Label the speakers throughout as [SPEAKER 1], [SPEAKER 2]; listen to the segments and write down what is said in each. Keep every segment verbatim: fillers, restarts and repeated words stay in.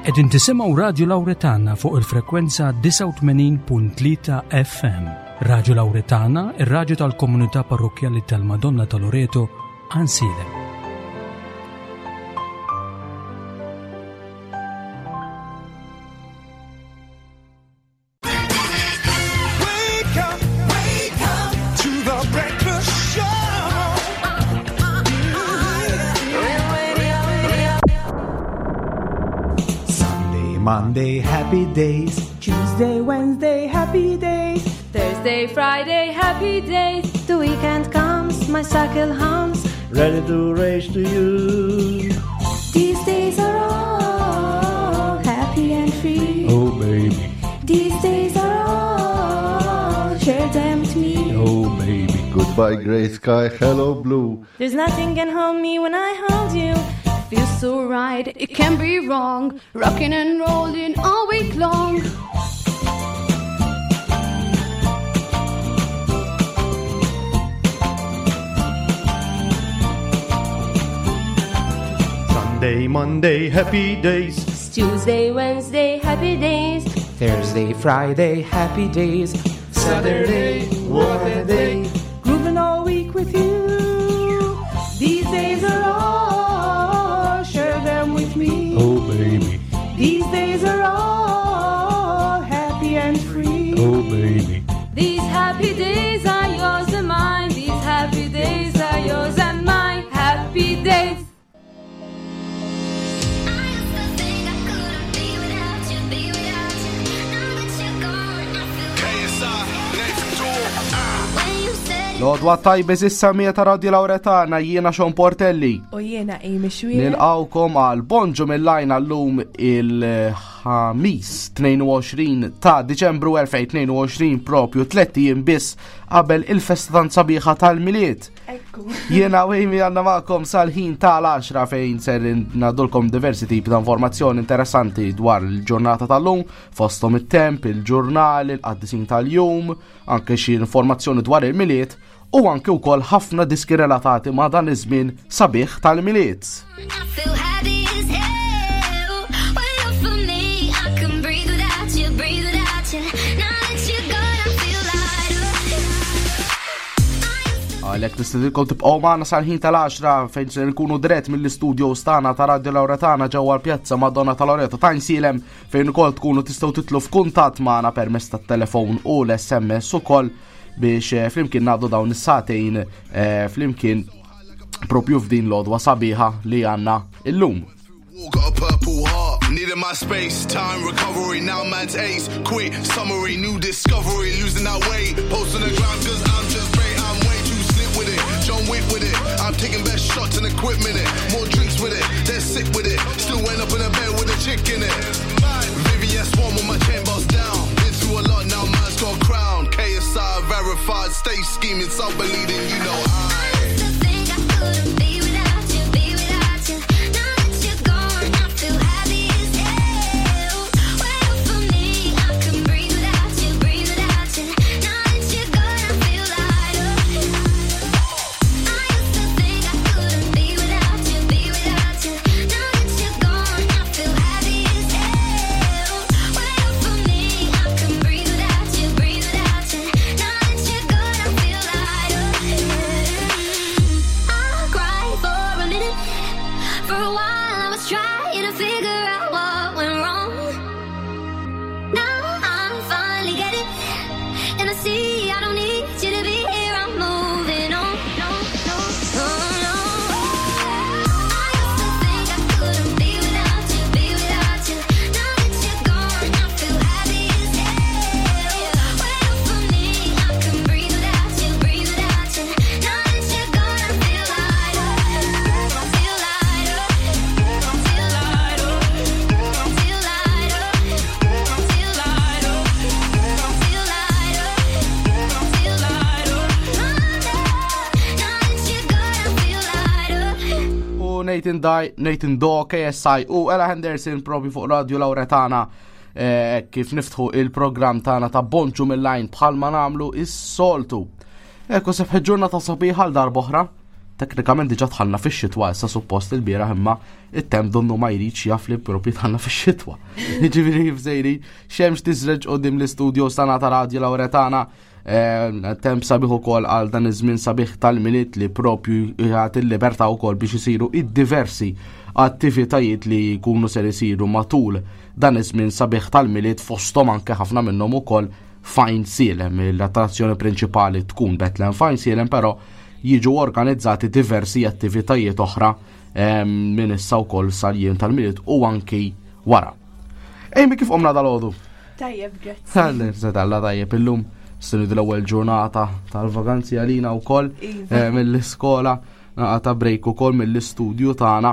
[SPEAKER 1] Qegħdin tisimgħu Radio Lauretana fuq il-frekwenza disgħa u tmenin punt tlieta F M. Radio Lauretana, ir-radju tal-komunità parrokkjali tal-Madonna ta' Loreto, Għajnsielem.
[SPEAKER 2] Monday, happy days.
[SPEAKER 3] Tuesday, Wednesday, happy days.
[SPEAKER 4] Thursday, Friday, happy days.
[SPEAKER 5] The weekend comes, my cycle hums.
[SPEAKER 2] Ready to race to you.
[SPEAKER 5] These days are all happy and free.
[SPEAKER 2] Oh, baby.
[SPEAKER 5] These days are all, share them with me.
[SPEAKER 2] Oh, baby.
[SPEAKER 6] Goodbye, grey sky, hello, blue.
[SPEAKER 5] There's nothing can hold me when I hold you.
[SPEAKER 4] Feels so right, it can't be wrong. Rocking and rolling all week long.
[SPEAKER 2] Sunday, Monday, happy days.
[SPEAKER 4] It's Tuesday, Wednesday, happy days.
[SPEAKER 7] Thursday, Friday, happy days.
[SPEAKER 2] Saturday, what a day.
[SPEAKER 3] Grooving all week with you. These days are all, share them with me.
[SPEAKER 2] Oh, baby.
[SPEAKER 3] These days are all happy and free.
[SPEAKER 2] Oh, baby.
[SPEAKER 4] These happy days are yours and mine. These happy days are yours and mine. Happy days.
[SPEAKER 8] L-għodwa tajba issa mija ta' Radio Lauretana, jiena Sean Portelli.
[SPEAKER 3] U jiena Amy Xuereb.
[SPEAKER 8] Nilqawkom għal Bonġu mill-lajna llum il-ħamis tnejn u għoxrin ta' Diċembru elfejn tnejn u għoxrin, propju tliet ijiem biss qabel il-festa tant sabiħa tal-Milied.
[SPEAKER 3] Ekku.
[SPEAKER 8] Jiena u Amy għandna magħkom sal-ħin tal-għaxra fejn ser ngħadulkom diversi tipi ta' informazzjoni interessanti dwar il-ġurnata tal-lum, fosthom it-temp, il-ġurnal, il-qaddisin tal-jum, anke xi informazzjoni dwar il-Milied u anke wkoll ħafna diski relatati ma' dan iż-żmien sabiħ tal-Milied.
[SPEAKER 9] I feel happy as hell. When you're for me, I can breathe without you, breathe without you. Now that you're gone, I feel lighter.
[SPEAKER 8] Għalhekk nistedinkom tibqgħu magħna sal-ħin tal-għaxra fejn se nkunu dirett mill-istudio tagħna ta' Radio Lauretana ġewwa l-Pjazza Madonna ta' Loreto ta' Għajnsielem, fejn ukoll tkunu tistgħu titlu f'kuntatt magħna permezz tat-telefon u l-S M S ukoll biex, eh, flimkien ngħaddu dawn is-sagħtejn, eh, flimkien propju f'din l-għodwa sabiħa li għandna illum.
[SPEAKER 10] Got a purple heart, needed my space, time recovery, now man's ace, quick summary, new discovery, losing that weight, post on the ground 'cause I'm just great, I'm way too slick with it, John Wick with it, I'm taking best shots and equipment it, more drinks with it, they're sick with it, still end up in a bed with a chick in it. Vivian Swan with my chain bust down, been through a lot now, man's got a crown, K S I verified, stay scheming, self-believing, you know I.
[SPEAKER 8] Nathan Dye, Nathan Dawe, K S I u Ella Henderson propju fuq Radio Lauretana, eh, kif niftħu il-programm tagħna ta' Bonġu mill-lajn bħalma nagħmlu is-soltu. Ekku sebħ ġurnata sabiħa għal darb'oħra, Teknikament diġà dħalna fix-xitwa issa suppost il-bieraħ imma it-temp donnu ma jridx jaf li propju dħalna fix-xitwa. Jiġifieri kif sejrin, xemx tiżreġ quddiem l-istudio sana ta' Radio Lauretana, eh, temp sabiħ ukoll għal dan iż-żmien sabiħ tal-Milied li propju jagħti l-libertà wkoll biex isiru id-diversi attivitajiet li jkunu ser isiru matul dan iż-żmien sabiħ tal-Milied, fosthom anke ħafna minnhom ukoll f'Għajnsielem. L-attrazzjoni prinċipali tkun Bethlehem f'Għajnsielem, però jiġu organizzati diversi attivitajiet oħra ehm, minn issa wkoll sal-jiem tal-Milied u anki wara. Amy, kif qomna dalgħodu?
[SPEAKER 11] Tajjeb, grazzi.
[SPEAKER 8] Tal-Alla tajjeb illum, sinu l-ewwel ġurnata tal-vaganzi għalina wkoll
[SPEAKER 11] Iva.
[SPEAKER 8] eh, mill-iskola, ta' break ukoll mill-istudju tagħna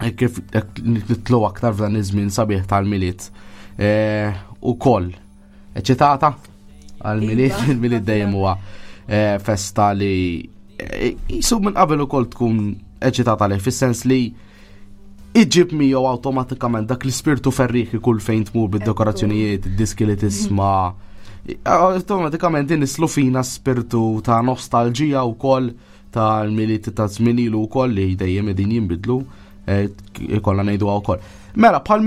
[SPEAKER 8] eh, kif hekk nitlu aktar f'dan iż-żmien sabiħ tal-Milied. Eh, Ukoll eċitata għal-Milied,
[SPEAKER 11] Iva.
[SPEAKER 8] il-Milied dejjem huwa eh, festa li eh, jisu minn qabel ukoll tkun eċitata li fis-sens li iġib miegħu awtomatikament dak l-ispirtu ferriħi kull fejn tmur bid-dekorazzjonijiet, id-diski li tisma'. Awtomatikament inislu fina spirtu ta' nostalġija wkoll tal-Milied ta' żmien ilu wkoll li dejjem qegħdin jinbidlu, eh, ikollna ngħiduha wkoll. Mela, bħal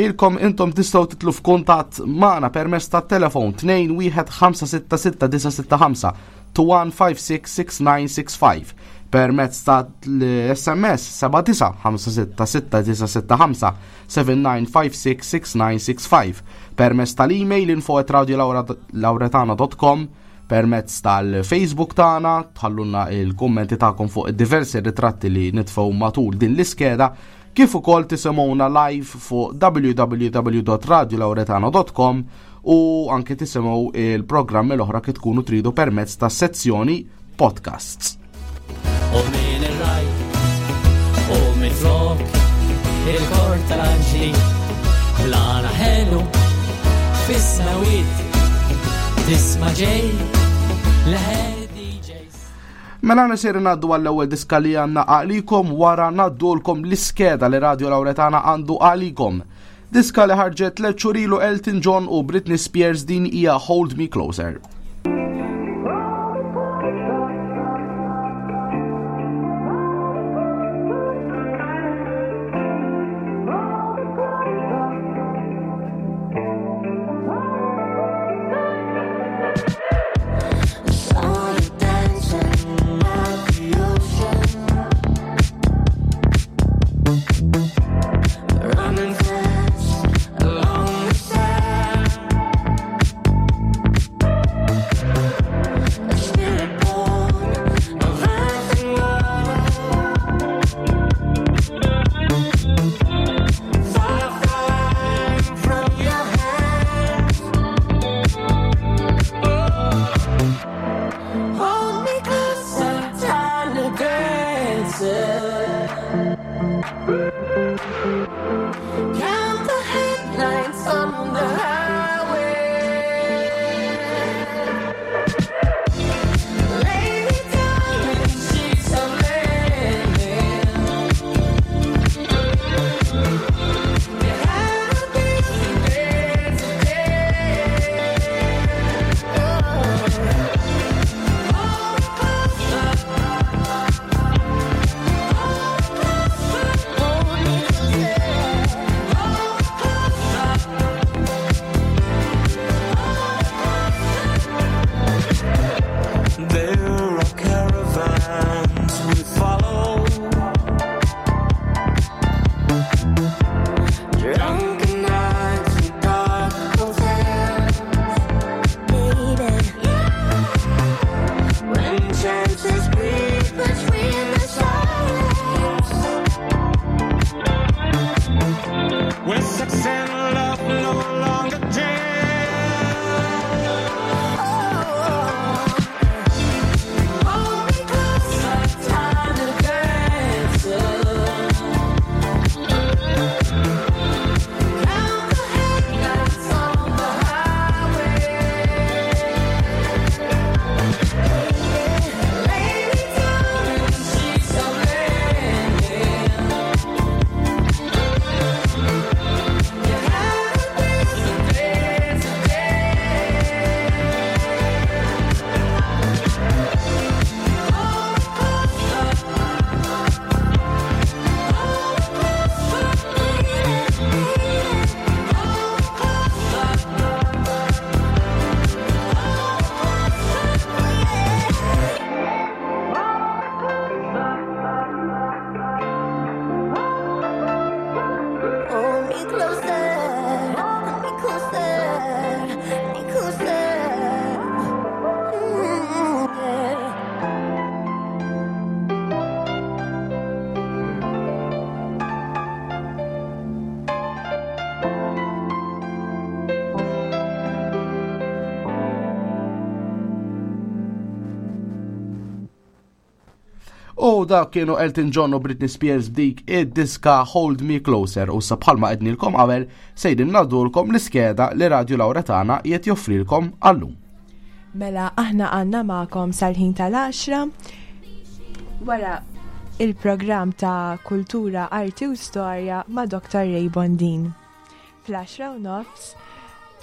[SPEAKER 8] ilkom intom tistgħu titlu f'kuntatt magħna permezz tat-telefon tnejn wieħed ħamsa sitta sitta disa' sitta ħamsa, two one five six six nine six five, permezz ta' l-S M S seba' disa' ħamsa sitta sitta disa' sitta ħamsa, seven nine five six six nine six five, permezz tal-email info at radiolauretana dot com, permezz tal-Facebook tagħna tħallulna il-kummenti tagħkom fuq id-diversi ritratti li nitfgħu matul din l-iskeda, kif ukoll tisimgħuna live fuq w w w dot radiolauretana dot com u anke tisimgħu il-programmi l-oħra kif tkunu tridu permezz ta' sezzjoni podcasts.
[SPEAKER 12] U min ir-raj u min flok il-kor tal-anġli l-għana ħelu fis-smewwiet tisma' ġej leħen D Js.
[SPEAKER 8] Mela nisir ngħaddu għall-ewwel diska li għandna għalikom, wara ngħaddulkom l-iskeda li Radio Lauretana għandu għalikom. Diska li ħarġet tliet xhur ilu, Elton John u Britney Spears, din hija Hold Me Closer.
[SPEAKER 9] Saw you dancing at the ocean, running fast along the sand. A spirit born of earth and water, fire flying from your hands. Hold me closer, tiny dancer. Count the headlights on the highway. Lay me down in sheets of linen. You had a busy day today. Oh. Hold me closer.
[SPEAKER 8] U dak kienu Elton John u Britney Spears b'dik id-diska Hold Me Closer u sa bħalma għednilkom qabel sejrin ngħaddulkom l-iskeda li Radju Lauretana qiegħed joffrilkom għallum.
[SPEAKER 11] Mela aħna għandna magħkom sal-ħin tal-għaxra wara il-programm ta' Kultura, Arti u Storja ma' Doktor Ray Bondin. Fl-għaxra u nofs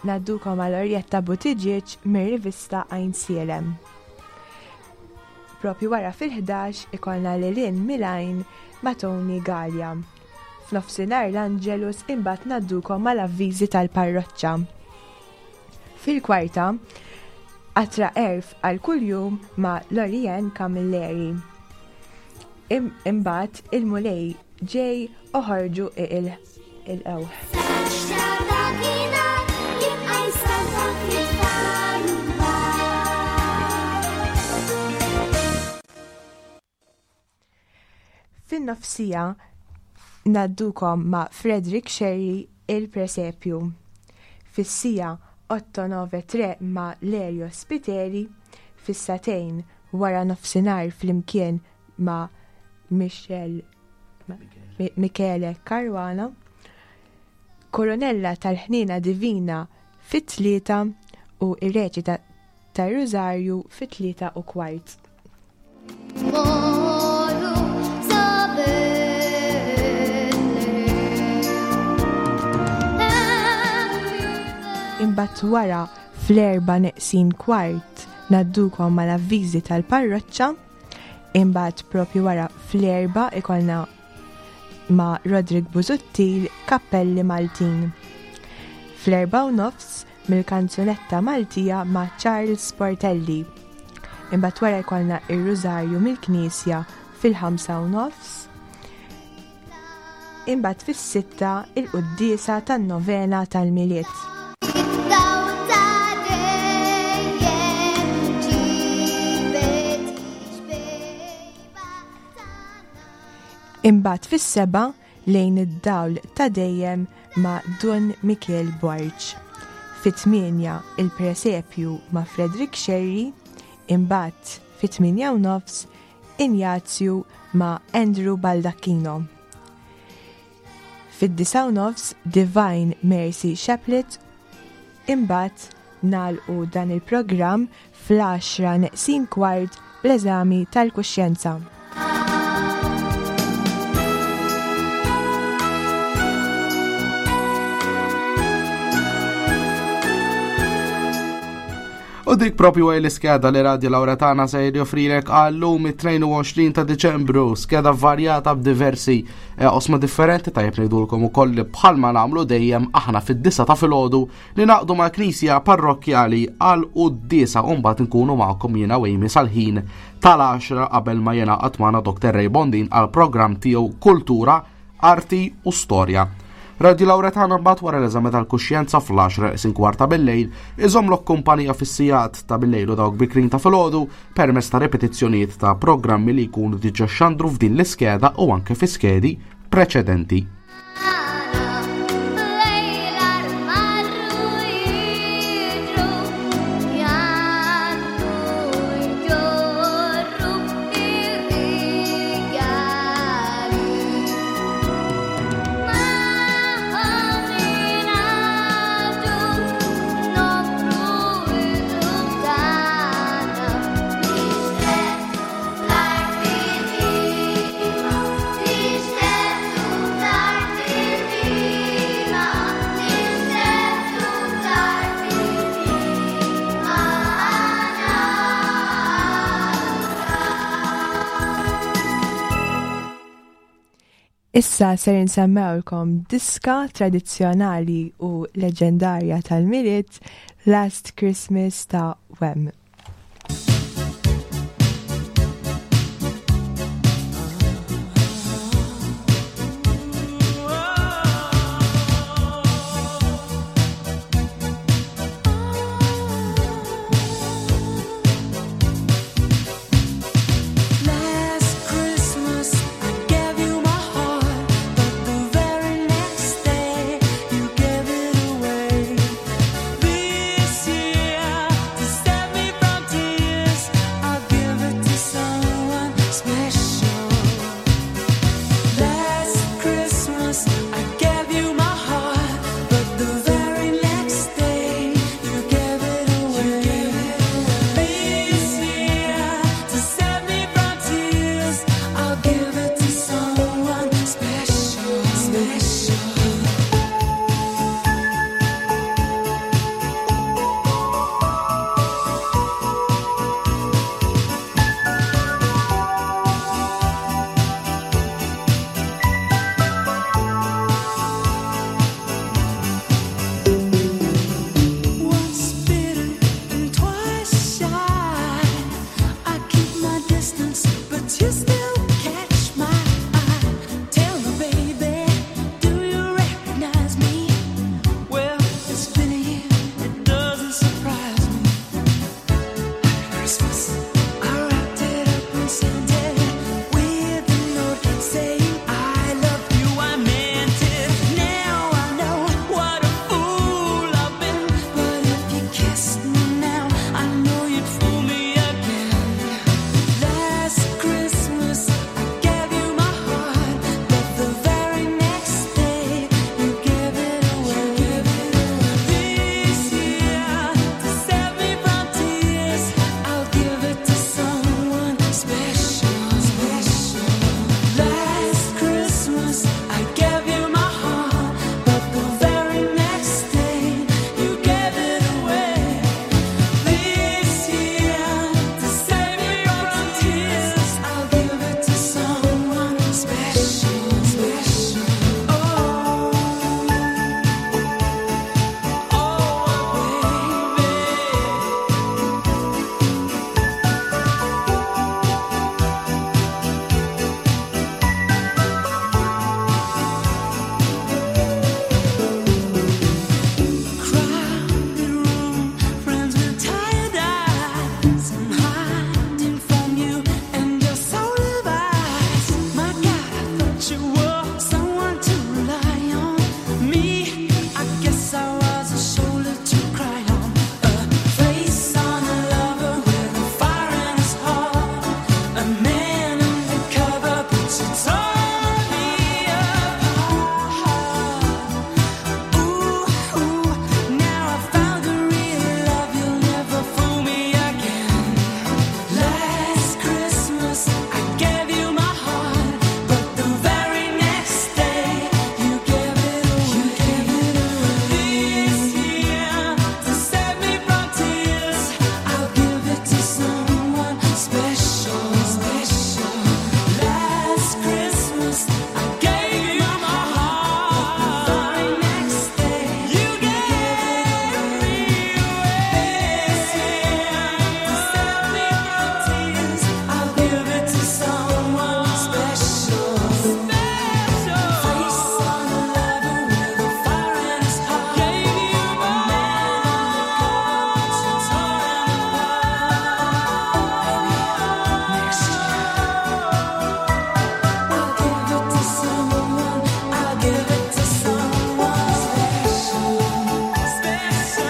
[SPEAKER 11] ngħaddukom għal Orjetta Buttigieg mir-rivista Għajnsielem. Propju wara fil-ħdax ikollna Lilin Milajn ma' Tony Gallia. F'nofsinhar l-Angelus imbagħad ngħaddukom mal-avviżi tal-parroċċa. Fil-kwarta, Qatra Erf għal kuljum ma' Lorien Camilleri. Imbagħad il-Mulej ġej oħorġu il-qewħ. Fin-nofsija ngħaddukom ma' Frederick Sherry il-Presepju. Fis-sija otto nove tre ma' Lerio Spiteri, fis-satejn wara nofsinhar flimkien ma' Michel Michele Caruana, Koronella tal-Ħnina Divina fit-tlieta u ir-reċita tar-Rużarju fit-tlieta u kwart. Imbagħad wara fl-erba' neqsin kwart ngħaddukom mal-avviżi tal-parroċċa, imbagħad propju wara fl-erba' ikollna ma' Roderick Busuttil Kappelli Maltin. Fl-erba' u nofs mill-kanzunetta Maltija ma' Charles Portelli. Imbagħad wara jkollna ir-Rużarju mill-Knisja fil-ħamsa u nofs. Imbagħad fis-sitta il-quddiesa tan-novena tal-Milied. Imbagħad fis-seba' lejn id-dawl ta' dejjem ma' Dun Mikiel Borg. Fit-tmienja il-presepju ma' Frederick Sherry, imbagħad fit-tmienja u nofs Injazju ma' Andrew Baldacchino. Fid-disa' u nofs Divine Mercy Chaplet, imbagħad nagħlqu dan il-programm fl-għaxra neqsin kwart bl-eżami tal-kuxjenza.
[SPEAKER 8] U dik propju għaj l-iskeda li Radju Lauretana se joffrilek għallum it-tnejn u għoxrin ta' Diċembru, skeda varjata b'diversi osma differenti. Tajjeb ngħidulkom ukoll li bħalma nagħmlu dejjem aħna fid-disa ta' filgħodu li naqdu mal-Knisja Parrokkjali għal quddiesa u mbagħad nkunu magħkom jiena u Amy sal-ħin tal-għaxra qabel ma jingħaqad magħna Doktor Ray Bondin għal programm tiegħu Kultura, Arti u Storja. Radju Lauretana mbagħad wara l-eżami tal-kuxjenza fl-għaxra isin kwarta bil-lejl iżomlok kumpanija fis-sigħat ta' bil-lejl u dawk bikrin ta' filgħodu permezz ta' ripetizzjonijiet ta' programmi li jkunu diġà xandru f'din l-iskeda u anke fi skedi preċedenti.
[SPEAKER 11] Issa ser insemmewlkom diska tradizzjonali u leġendarja tal-Milied, Last Christmas ta' Wham.
[SPEAKER 13] This year to set me But you were someone to rely on. Me, I guess I was a shoulder to cry on. A face on a lover with a fire in his heart. A man undercover, but you tore me apart. Ooh, ooh, now I found the real love. You'll never fool me again. Last Christmas I gave you my heart, but the very next day you gave it away. You gave it away. This year to save me from tears, I'll give it to someone special, special. Last Christmas I gave you my heart, but the very next day you gave me away. This year to save me from tears, I'll give it to someone special. Special. Face on a lover with a fire in his heart. Gave you my man undercover, but you tore him apart. Maybe next year I'll give it to someone. I'll give it to someone special. Special.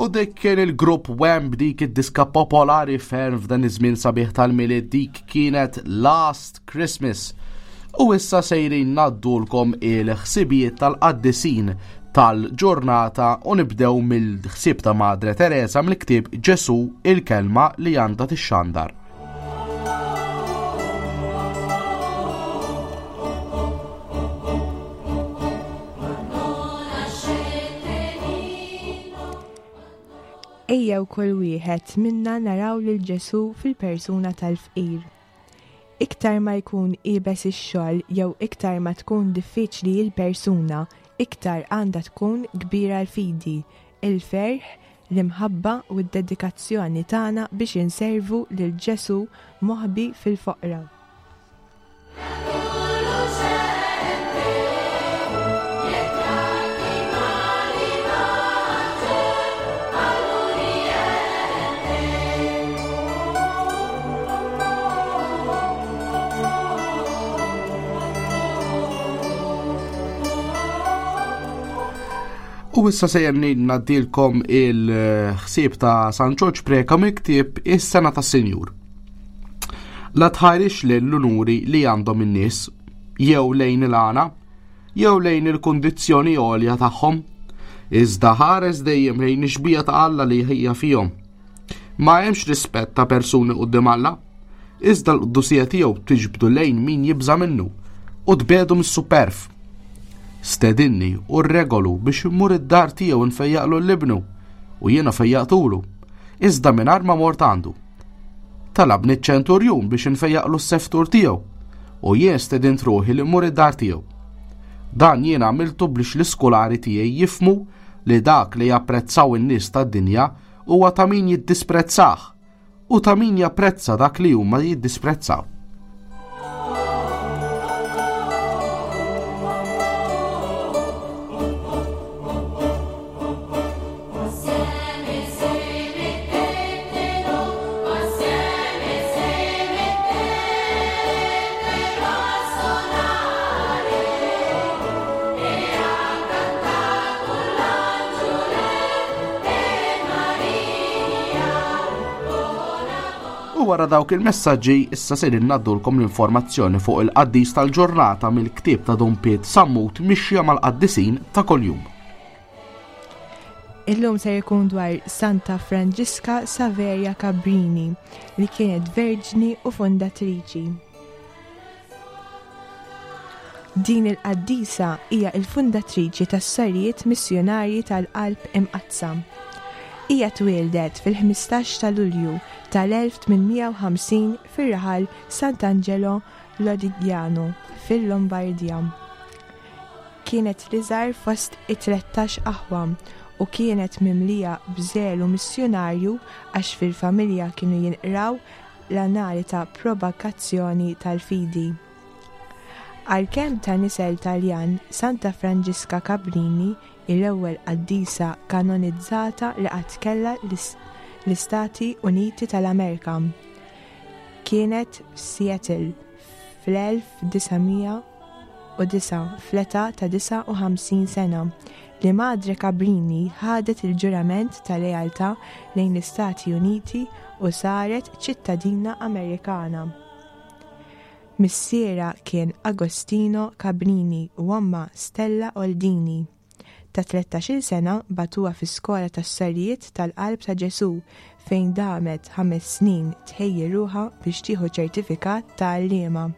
[SPEAKER 8] U dik kien il-grupp Wham b'dik id-diska popolari ferm f'dan iż-żmien sabiħ tal-Milied dik kienet Last Christmas. U issa sejrin ngħaddulkom il-ħsibijiet tal-qaddisin tal-ġurnata u nibdew mill-ħsieb ta' Madre Teresa mill-ktieb Ġesu il-kelma li għandha tixxandar.
[SPEAKER 11] Ejjew kull wieħed minna naraw lil Ġesu fil-persuna tal-fqir. Iktar ma jkun iebes ix-xogħol jew iktar ma tkun diffiċli l-persuna, iktar għandha tkun kbira l-fidi, il-ferħ, l-imħabba u d-dedikazzjoni tagħna biex inservu lil Ġesu moħbi fil-foqra.
[SPEAKER 8] U issa sejjer ngħaddilkom il-ħsieb ta' San Ġorġ Preca mill-ktieb Is-Sena tas-Sinjur. La tħarix lejn l-unuri li għandhom in-nies, jew lejn il-għana, jew lejn il-kundizzjoni għolja tagħhom, iżda ħares dejjem lejn ix-xbieha ta' Alla li hija fihom. Ma hemmx rispett ta' persuni quddiem Alla, iżda l-qdusija tiegħu tiġbdu lejn min jibża' minnu u tbegħdu mis-superf. Stedinni u rregolu biex immur id-dar tiegħu nfejjaqlu l-ibnu u jiena fejjaqtulu, iżda mingħajr ma mort għandu. Talabni ċ-ċenturjun biex nfejjaqlu s-seftur tiegħu u jien stedint ruħi li mmur id-dar tiegħu. Dan jien għamiltu biex l-iskulari tiegħi jifmu li dak li japprezzaw in-nies tad-dinja huwa ta' min jiddisprezzah u ta' min japprezza dak li huma jiddisprezzaw. U wara dawk il-messaġġi issa se ngħaddulkom l-informazzjoni fuq il-qaddis tal-ġurnata mill-ktieb ta' Dun Piet Sammut Mixja mal-Qaddisin ta' kuljum.
[SPEAKER 11] Illum se jkun dwar Santa Franġiska Saveria Cabrini li kienet verġni u fondatriċi. Din il-qaddisa hija il-fundatriċi tas-sorijiet missjonarji tal-Qalb Imqaddsa. Hija twieldet fil-ħmistax ta' Lulju tal-elf tmien mija u ħamsin fir-raħal Sant'Angelo Lodigiano fil-Lombardija. Kienet l-iżgħar fost it-tlettax aħwa u kienet mimlija b'żelu missjonarju għax fil-familja kienu jinqraw l-annali ta' propagazzjoni tal-fidi. Għalkemm ta' nisel Taljan, Santa Franġiska Cabrini l-ewwel qaddisa kanonizzata li qatt kellha l-Istati Uniti tal-Amerika. Kienet f'Seattle fl-elf disa' mija u disa' fl-età ta' disa' u ħamsin sena li Madre Cabrini ħadet il-ġurament ta' lealtà lejn l-Istati Uniti u saret ċittadina Amerikana. Missiera kien Agostino Cabrini u omma Stella Oldini. Ta' tlettax-il sena batuha fi skola tas-sorijiet tal-Qalb ta' Ġesu fejn damet ħames snin tħejji ruħha biex tieħu ċertifikat ta' għalliema.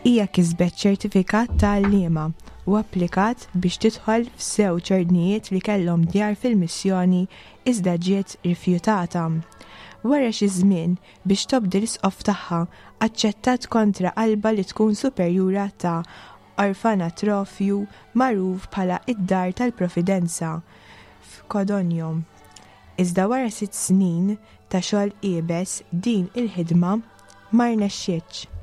[SPEAKER 11] Hija kisbet ċertifikat ta' għalliema u applikat biex tidħol f'żewġ ordnijiet li kellhom djar fil-missjoni iżda ġiet rifjutata. Wara xi żmien biex tobdi l-isqof tagħha aċċettat kontra qalba li tkun superjura ta' orfanatrofju magħruf bħala id-Dar tal-Providenza f'Codogno. Iżda wara sitt snin ta' xogħol iebes din il-ħidma ma rnexxietx.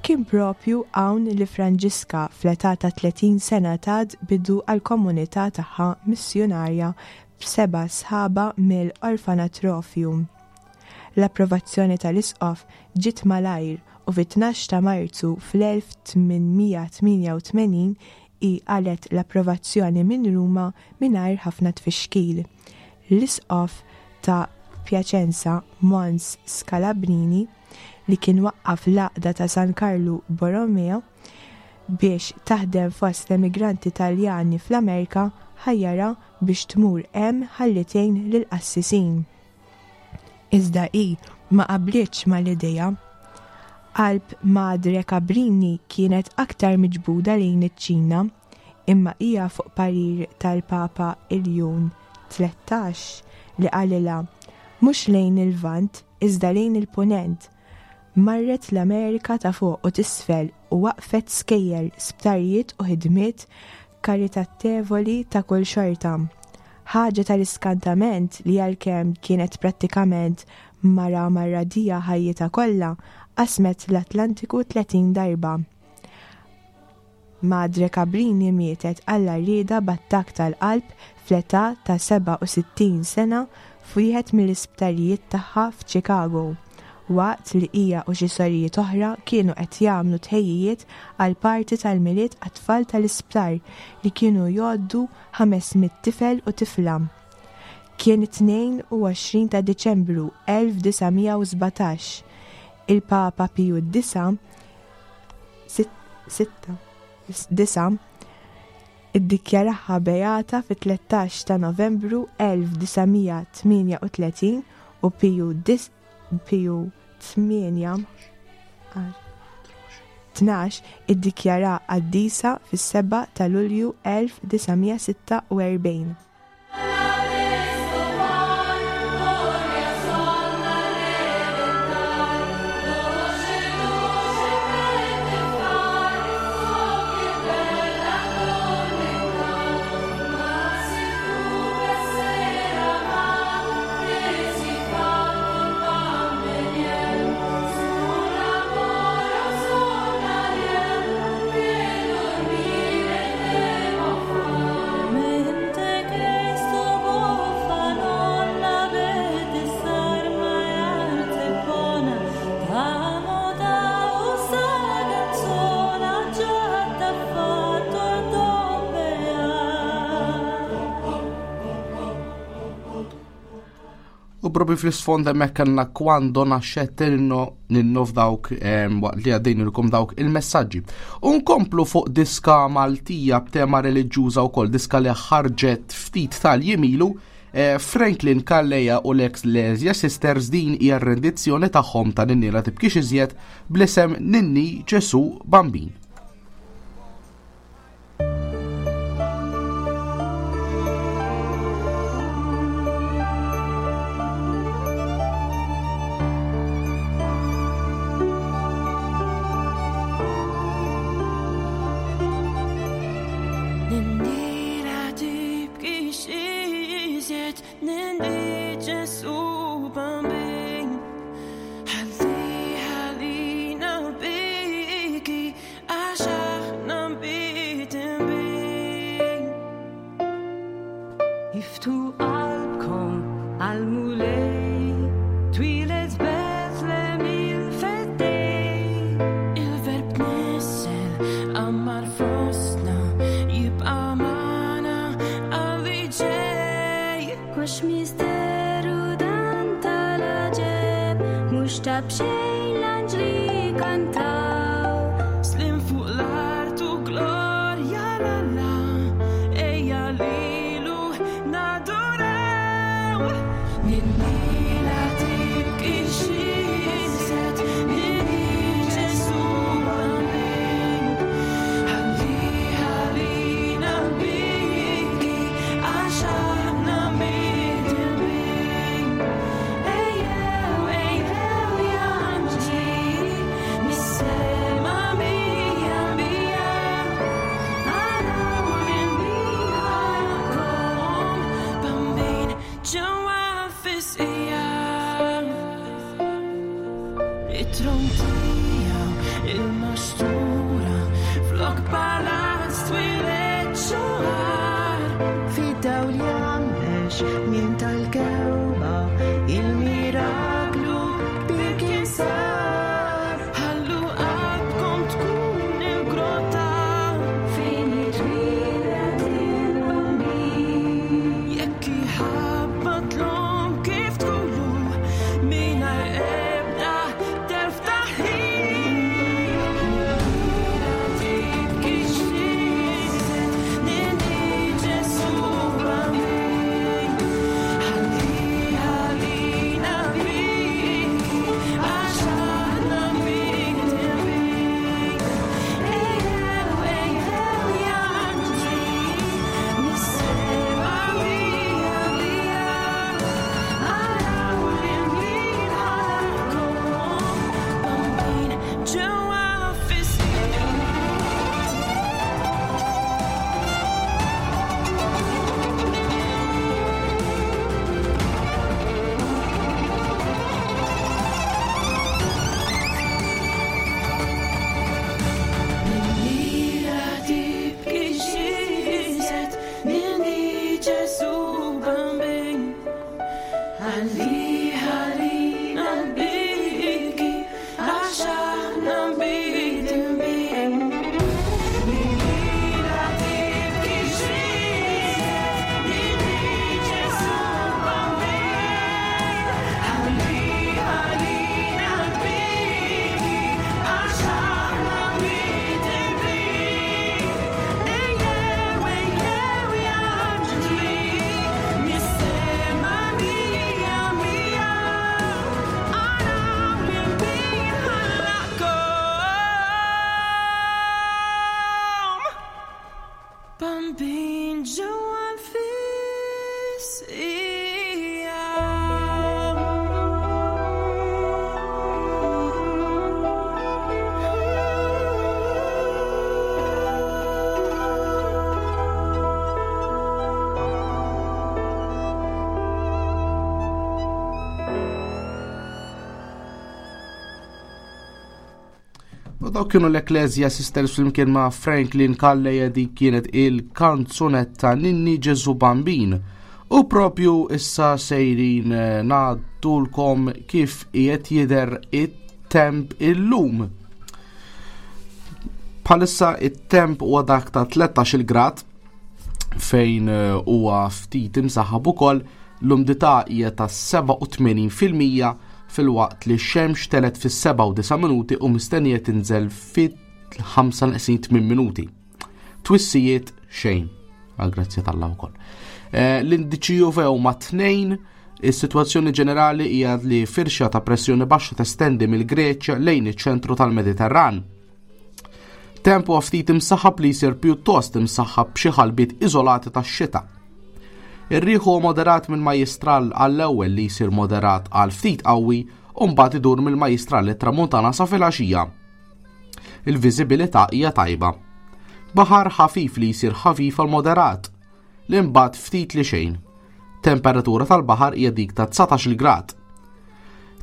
[SPEAKER 11] Kien propju hawn li Franġiska fl-età ta' tletin sena tat bidu għall-komunità tagħha missjunarja b'seba' sħaba mill-orfanatrofju. L-approvazzjoni tal-isqof ġiet malajr u fit-tnax ta' Marzu fl-elf tmien mija tmienja u tmenin hi qalet l-approvazzjoni minn Ruma mingħajr ħafna tfixkil. L-isqof ta' Piacenza, Mons Scalabrini, li kien waqqaf l-għaqda ta' San Carlo Borromeo biex taħdem fost l-emigranti Taljani fl-Amerika, ħajjara biex tmur hemm ħalli tgħin lill-qassisin. Iżda hi ma qablitx mal-idea. Qalb Madre Cabrini kienet aktar miġbuda lejn iċ-Ċina, imma hija fuq parir tal-Papa Iljun tlettax li qalilha mhux lejn il-Lvant iżda lejn il-Punent. Marret l-Amerika ta' fuq u tisfel u waqfet skejjel, sptarijiet u ħidmiet karitatevoli ta' kull xorta. Ħaġa tal-iskantament li għalkemm kienet prattikament mara marradija ħajjitha kollha, qasmet l-Atlantiku tletin darba. Madre Cabrini mietet għall-għarrieda b'attakk tal-qalb fl-età ta' seba' u sittin sena f'wieħed mill-isptarijiet tagħha f'Chicago, waqt li hija u xi sorijiet oħra kienu qed jagħmlu tħejjijiet għal parti tal-Milied għat-tfal tal-isptar li kienu jgħoddu ħames mitt tifel u tifla. Kien it-tnejn u għoxrin ta' Diċembru elf disa' mija u sbatax. Il-Papa Piju d-disa' sit-, sitta, disa' iddikjaraha beata fit-tlettax ta' Novembru elf disa' mija tmienja u tletin u Piju dis-, Piju tmienja, tnax iddikjara qaddisa fis-seba' ta' Lulju elf disa' mija sitta u erbgħin.
[SPEAKER 8] U propju fl-isfond hemmhekk kellna Quando nascette ninno, ninno f'dawk, ehm, waqt li għaddejnilkom dawk il-messaġġi. U nkomplu fuq diska Maltija b'tema reliġjuża wkoll, diska li ħarġet ftit tal-jimilu, eh, Franklin Calleja u l-Ecclesia Sisters. Din hija r-rendizzjoni tagħhom ta' Ninni la tibkix iżjed bl-isem Ninni Ġesu Bambin.
[SPEAKER 13] Ninni la tibkix iżjed, Ninni Ġesù Bambin. Ħalli ħalina biki għax aħna mbidnibin.
[SPEAKER 4] Iftħu qalbkom għall-Mulej, twieled Betlem il-Feddej.
[SPEAKER 13] Il-Verb tnissel għammar fostna, jibqa' magħna għal ġej.
[SPEAKER 9] Għax misteru dan tal-għaġeb, mhux ta' b'xejn l-anġli kantaw.
[SPEAKER 13] Sliem fuq l-art u glorja 'l Alla, ejja lilu naduraw. Ninni la tibkix iżjed, ninni Ġesù Bambin. Ħalli ħalina biki għax aħna midinbin. Ejjew, ejjew ja anġli, mis-sema mija mija. Araw lil min ħalaqkom, Bambin ġewwa fis-sqija. It-tron tiegħu il-maxtura, flok palazz twieled xahar.
[SPEAKER 14] Fid-dawl jgħammex minn tal-kewba, il-miraklu kbir kien sar.
[SPEAKER 13] Ħallu qalbkom tkun il-grotta
[SPEAKER 4] Fejn jitwieled il-Bambin.
[SPEAKER 13] Jekk iħabbatlhom kif tqulu mingħajr ebda telf ta' ħin. Tibkix iżjed, ninni Ġesù Bambin. Ħalli ħalina biki għax aħna midinbin. Ejjew, ejjew ja anġli, mis-sema mija mija. Araw lil min ħalaqkom, Bambin ġewwa fis-sqija. Ninni la tibkix iżjed, ninni Ġesù Bambin. Ħalli ħalina biki għax aħna midinbin. Ninni la tibkix iżjed, ninni Ġesù Bambin. Ħalli ħalina biki għax aħna midinbin. Ejjew, ejjew ja anġli, mis-sema mija mija. Araw lil min ħalaqkom, Bambin ġewwa l-fisqija.
[SPEAKER 8] U dawk kienu l-Ecclesia Sisters flimkien ma' Franklin Calleja, dik kienet il-kanzunetta Ninni Ġesù Bambin. U propju issa sejrin eh, ngħaddulkom kif qiegħed jidher it-temp illum. Bħalissa it-temp huwa dak ta' tlettax-il grad fejn eh, huwa ftit imsaħħab ukoll, l-umdità hija ta' sebgħa u tmenin fil-mija filwaqt li x-xemx telet fis-sebgħa u disa' minuti u mistennija tinżel fit-ħamsa neqsin tmien minuti. Twissijiet xejn, għal grazzja tal-Allah wkoll. Eh, l-indiċi U V huma tnejn, is-sitwazzjoni ġenerali hija li firxa ta' pressjoni baxxa testendi mill-Greċja lejn iċ-ċentru tal-Mediterran. Tempo ftit imsaħħab li jsir pjuttost imsaħħab b'xi ħalbiet iżolati tax-xita. Ir-riħ huwa moderat minn majjistral għall-ewwel li jsir moderat għal ftit qawwi u mbagħad idur mill-majjistral lit-tramuntana sa filgħaxija. Il-viżibilità hija tajba. Baħar ħafif li jsir ħafif għal moderat, li mbagħad ftit li xejn. Temperatura tal-baħar hija dik ta' dsatax-il grad.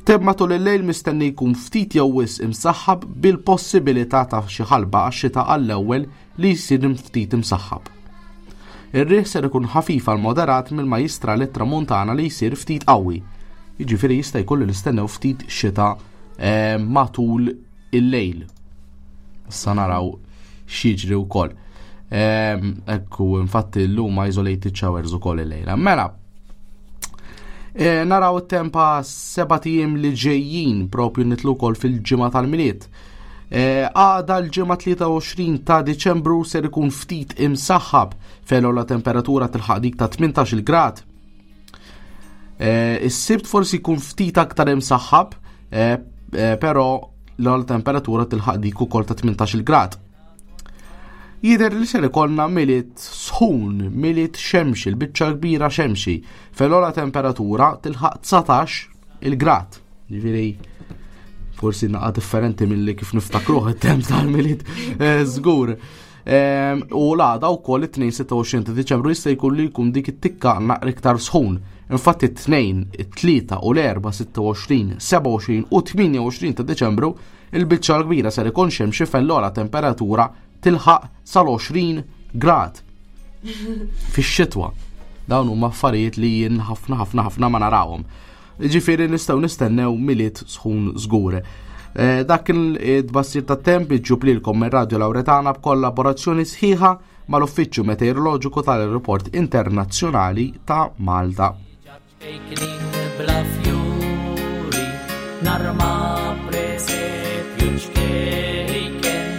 [SPEAKER 8] Temp matul il-lejl mistenni jkun ftit jew wisq imsaħħab bil-possibilità ta' xi ħalba għax-xita għall-ewwel li jsir ftit imsaħħab. Ir-riħ ser ikun ħafif għal moderat mill-majjistral it-tramuntana li jsir ftit qawwi. Jiġifieri jista' jkun li nistennew ftit xita, eh, matul il-lejl. Issa naraw x'jiġri wkoll. Ehm, ekku, infatti llum isolated showers ukoll il-lejla. Mela, e, naraw it-tempa sebat ijiem li ġejjin propju nitlu wkoll fil-ġimgħa tal-Milied. E, għada l-ġimgħa tlieta u għoxrin ta' Diċembru ser ikun ftit imsaħħab fejn la temperatura tilħaq dik ta' tmintax-il grad. E, is-Sibt forsi jkun ftit aktar imsaħħab, e, e, però l-ogħla temperatura tilħaq dik ukoll ta' tmintax-il grad. Jidher li ser ikollna Milied sħun, Milied xemxi, l-biċċa kbira xemxi, fejn l-ogħla temperatura tilħaq dsatax il-grad. Ġifieri forsi naqa differenti milli kif niftakruh it-temp tal-Milied, eh, żgur. Ehm, u l-għada wkoll it-tnejn sitta u għoxrin ta' Diċembru jista' jkun li jkun dik it-tikka naqra iktar sħun. Infatti it-tnejn, it-tlieta u l-erba' sitta u għoxrin, seba' u għoxrin u tmienja u għoxrin ta' Diċembru il-biċċa l-kbira ser ikun xemxi fejn l-ogħla temperatura tilħaq sal-għoxrin grad fix-xitwa. Dawn huma affarijiet li jien ħafna ħafna ħafna ma narawhom. Ġifieri nistgħu nistennew Milied sħun żgur. Eh, dak il-tbassir tat-temp iġġub lilkom minn Radio Lauretana b'kollaborazzjoni sħiħa mal-Uffiċċju Meteoroloġiku tal-Aeroport Internazzjonali ta' Malta.
[SPEAKER 12] Bla fjuri, narma presepju ċkejken,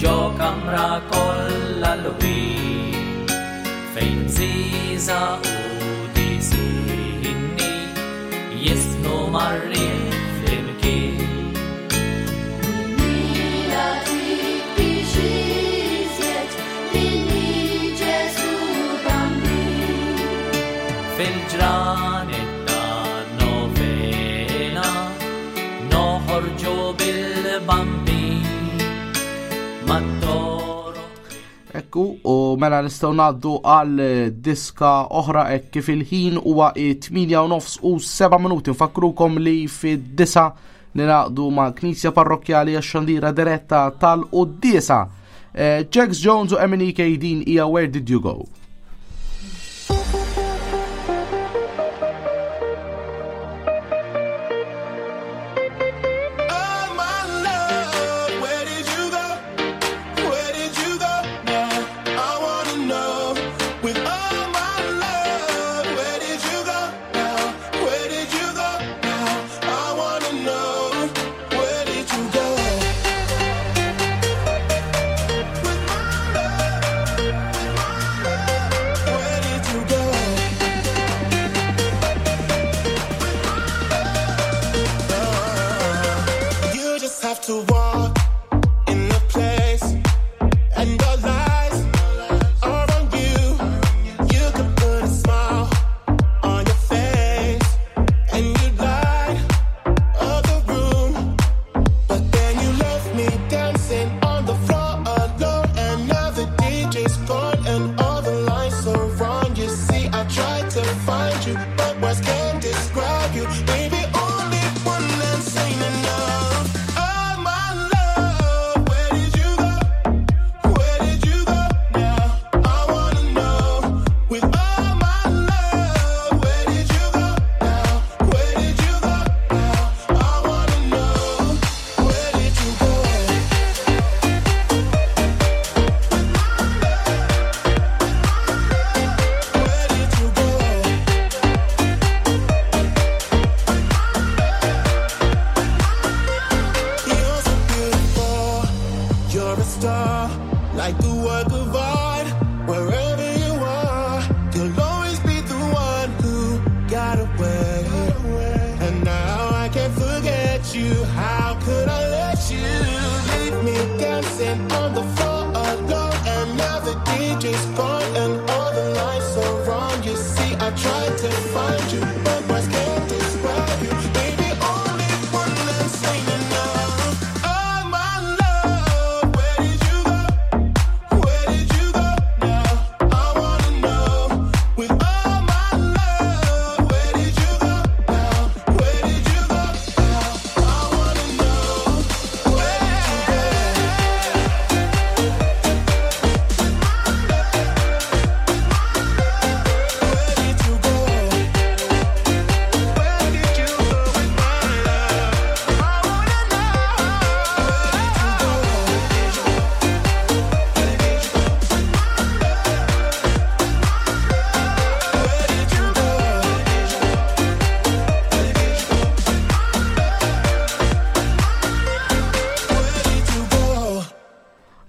[SPEAKER 12] ġo kamra kollha l-ħin, fejn bżiża u disinni jisnu marrin flimkien.
[SPEAKER 9] Mila tibki xiżjed billi Ġesu Bambin.
[SPEAKER 12] Fil-ġranet ta' novena noħorġu bil-bambin mat-toro.
[SPEAKER 8] Ekku, u mela nistgħu ngħaddu għal diska oħra hekk kif il-ħin huwa tmienja u nofs u seba' minuti. Nfakkrukom li fid-disa ninaqdu ma' Knisja Parrokkjali għax-xandira diretta tal-Quddiesa. Eh, Jax Jones u M N E K din hija Where Did You Go?
[SPEAKER 15] To walk in the place and the lights are on you. You could put a smile on your face and you light up the room, but then you left me dancing on the floor alone, and now the D J's gone and all the lights are on. You see, I tried to find you, but words can't describe you. Baby, only one dance ain't enough. Oh, my love, where did you go? Where did you go now? I wanna know. With all my love, where did you go now? Where did you go now? I wanna know. Where did you go? Where did you go? You're so beautiful, you're a star, like the work of art. Wherever you are, you'll always be the one who got away. And now I can't forget you. How could I let you leave me dancing on the floor alone? And now the D J's gone and all the lights are on. You see, I tried to find you, but words can't describe you. Baby, only one dance ain't enough. Oh, my love, where did you go? Where did you go now? I wanna know. With all my love,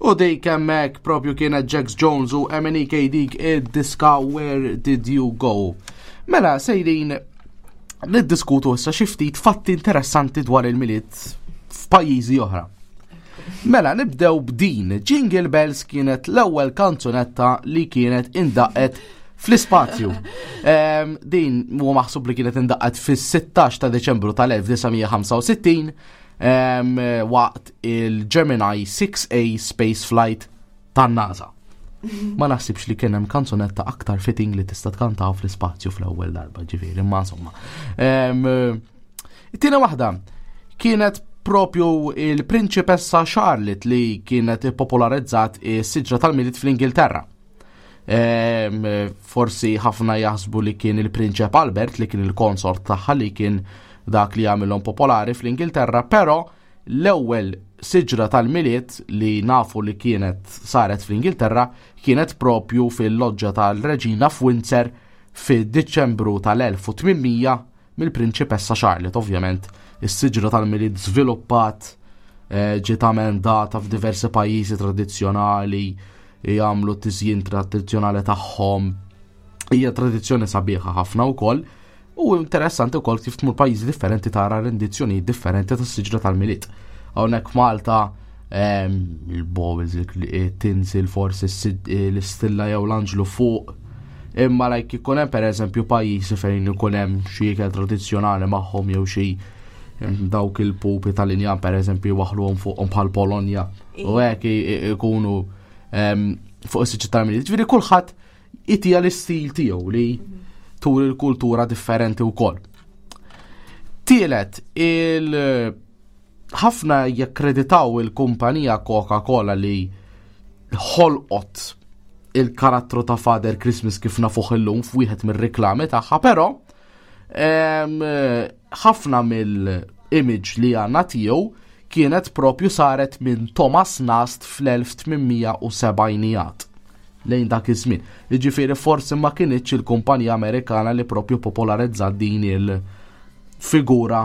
[SPEAKER 8] U dik hemmhekk propju kienet Jax Jones u M N E K dik id-diska "Where Did You Go". Mela, sejrin niddiskutu issa xi ftit fatti interessanti dwar il-Milied f'pajjiżi oħra. Mela, nibdew b'din. "Jingle Bells" kienet l-ewwel kanzunetta li kienet indaqqet fl-ispazju. Em, din huwa maħsub li kienet indaqqet fis-sittax ta' Deċembru tal-elf disa' mija ħamsa u sittin em, waqt il-Gemini six A Space Flight tan-NASA. Ma naħsibx li kien hemm kanzunetta aktar fitting li tista' tkantaw fl-ispazju fl-ewwel darba, ġifieri, imma insomma. Em, It-tieni waħda kienet propju il-Prinċipessa Charlotte li kienet popolarizzat is-siġra tal-Milied fl-Ingilterra. Em, forsi ħafna jaħsbu li kien il-Prinċep Albert, li kien il-konsort tagħha, li kien dak li għamilhom popolari fl-Ingilterra, però l-ewwel siġra tal-Milied li nafu li kienet saret fl-Ingilterra kienet propju fil-loġġa tal-Reġina f'Windsor fid-Diċembru tal-elf u tmien mija mill-Prinċipessa Charlotte. Ovvjament, is-siġra tal-Milied żviluppat, eh, ġiet emendata f'diversi pajjiżi tradizzjonali, jagħmlu tiżjin tradizzjonali tagħhom. Hija tradizzjoni sabiħa ħafna wkoll. U interessanti wkoll kif tmur pajjiżi differenti tara rendizzjoni differenti tas-siġra tal-Milied. Hawnhekk Malta em, il-baubles, il-tinsel, forsi l-istilla jew l-anġlu fuq. Imma like ikun hemm, pereżempju, pajjiżi fejn ikun hemm xi ikel tradizzjonali magħhom jew xi em, dawk il-pupi tal-injam, pereżempju, waħluhom fuqhom bħal Polonja. U hekk i- i- ikunu em, fuq is-siġra tal-Milied. Ġifieri kulħadd itija l-istil tiegħu li turi l-kultura differenti wkoll. Tielet, il ħafna jakkreditaw il-kumpanija Coca-Cola li ħolqot il-karattru ta' Father Christmas kif nafuh illum f'wieħed mir-reklami tagħha, però em, ħafna mill-image li għandna tiegħu kienet propju saret minn Thomas Nast fl-elf tmien mija u sebgħinijat lejn dak iż-żmien. Jiġifieri forsi ma kinitx il-kumpanija Amerikana li propju popolarizzat din il-figura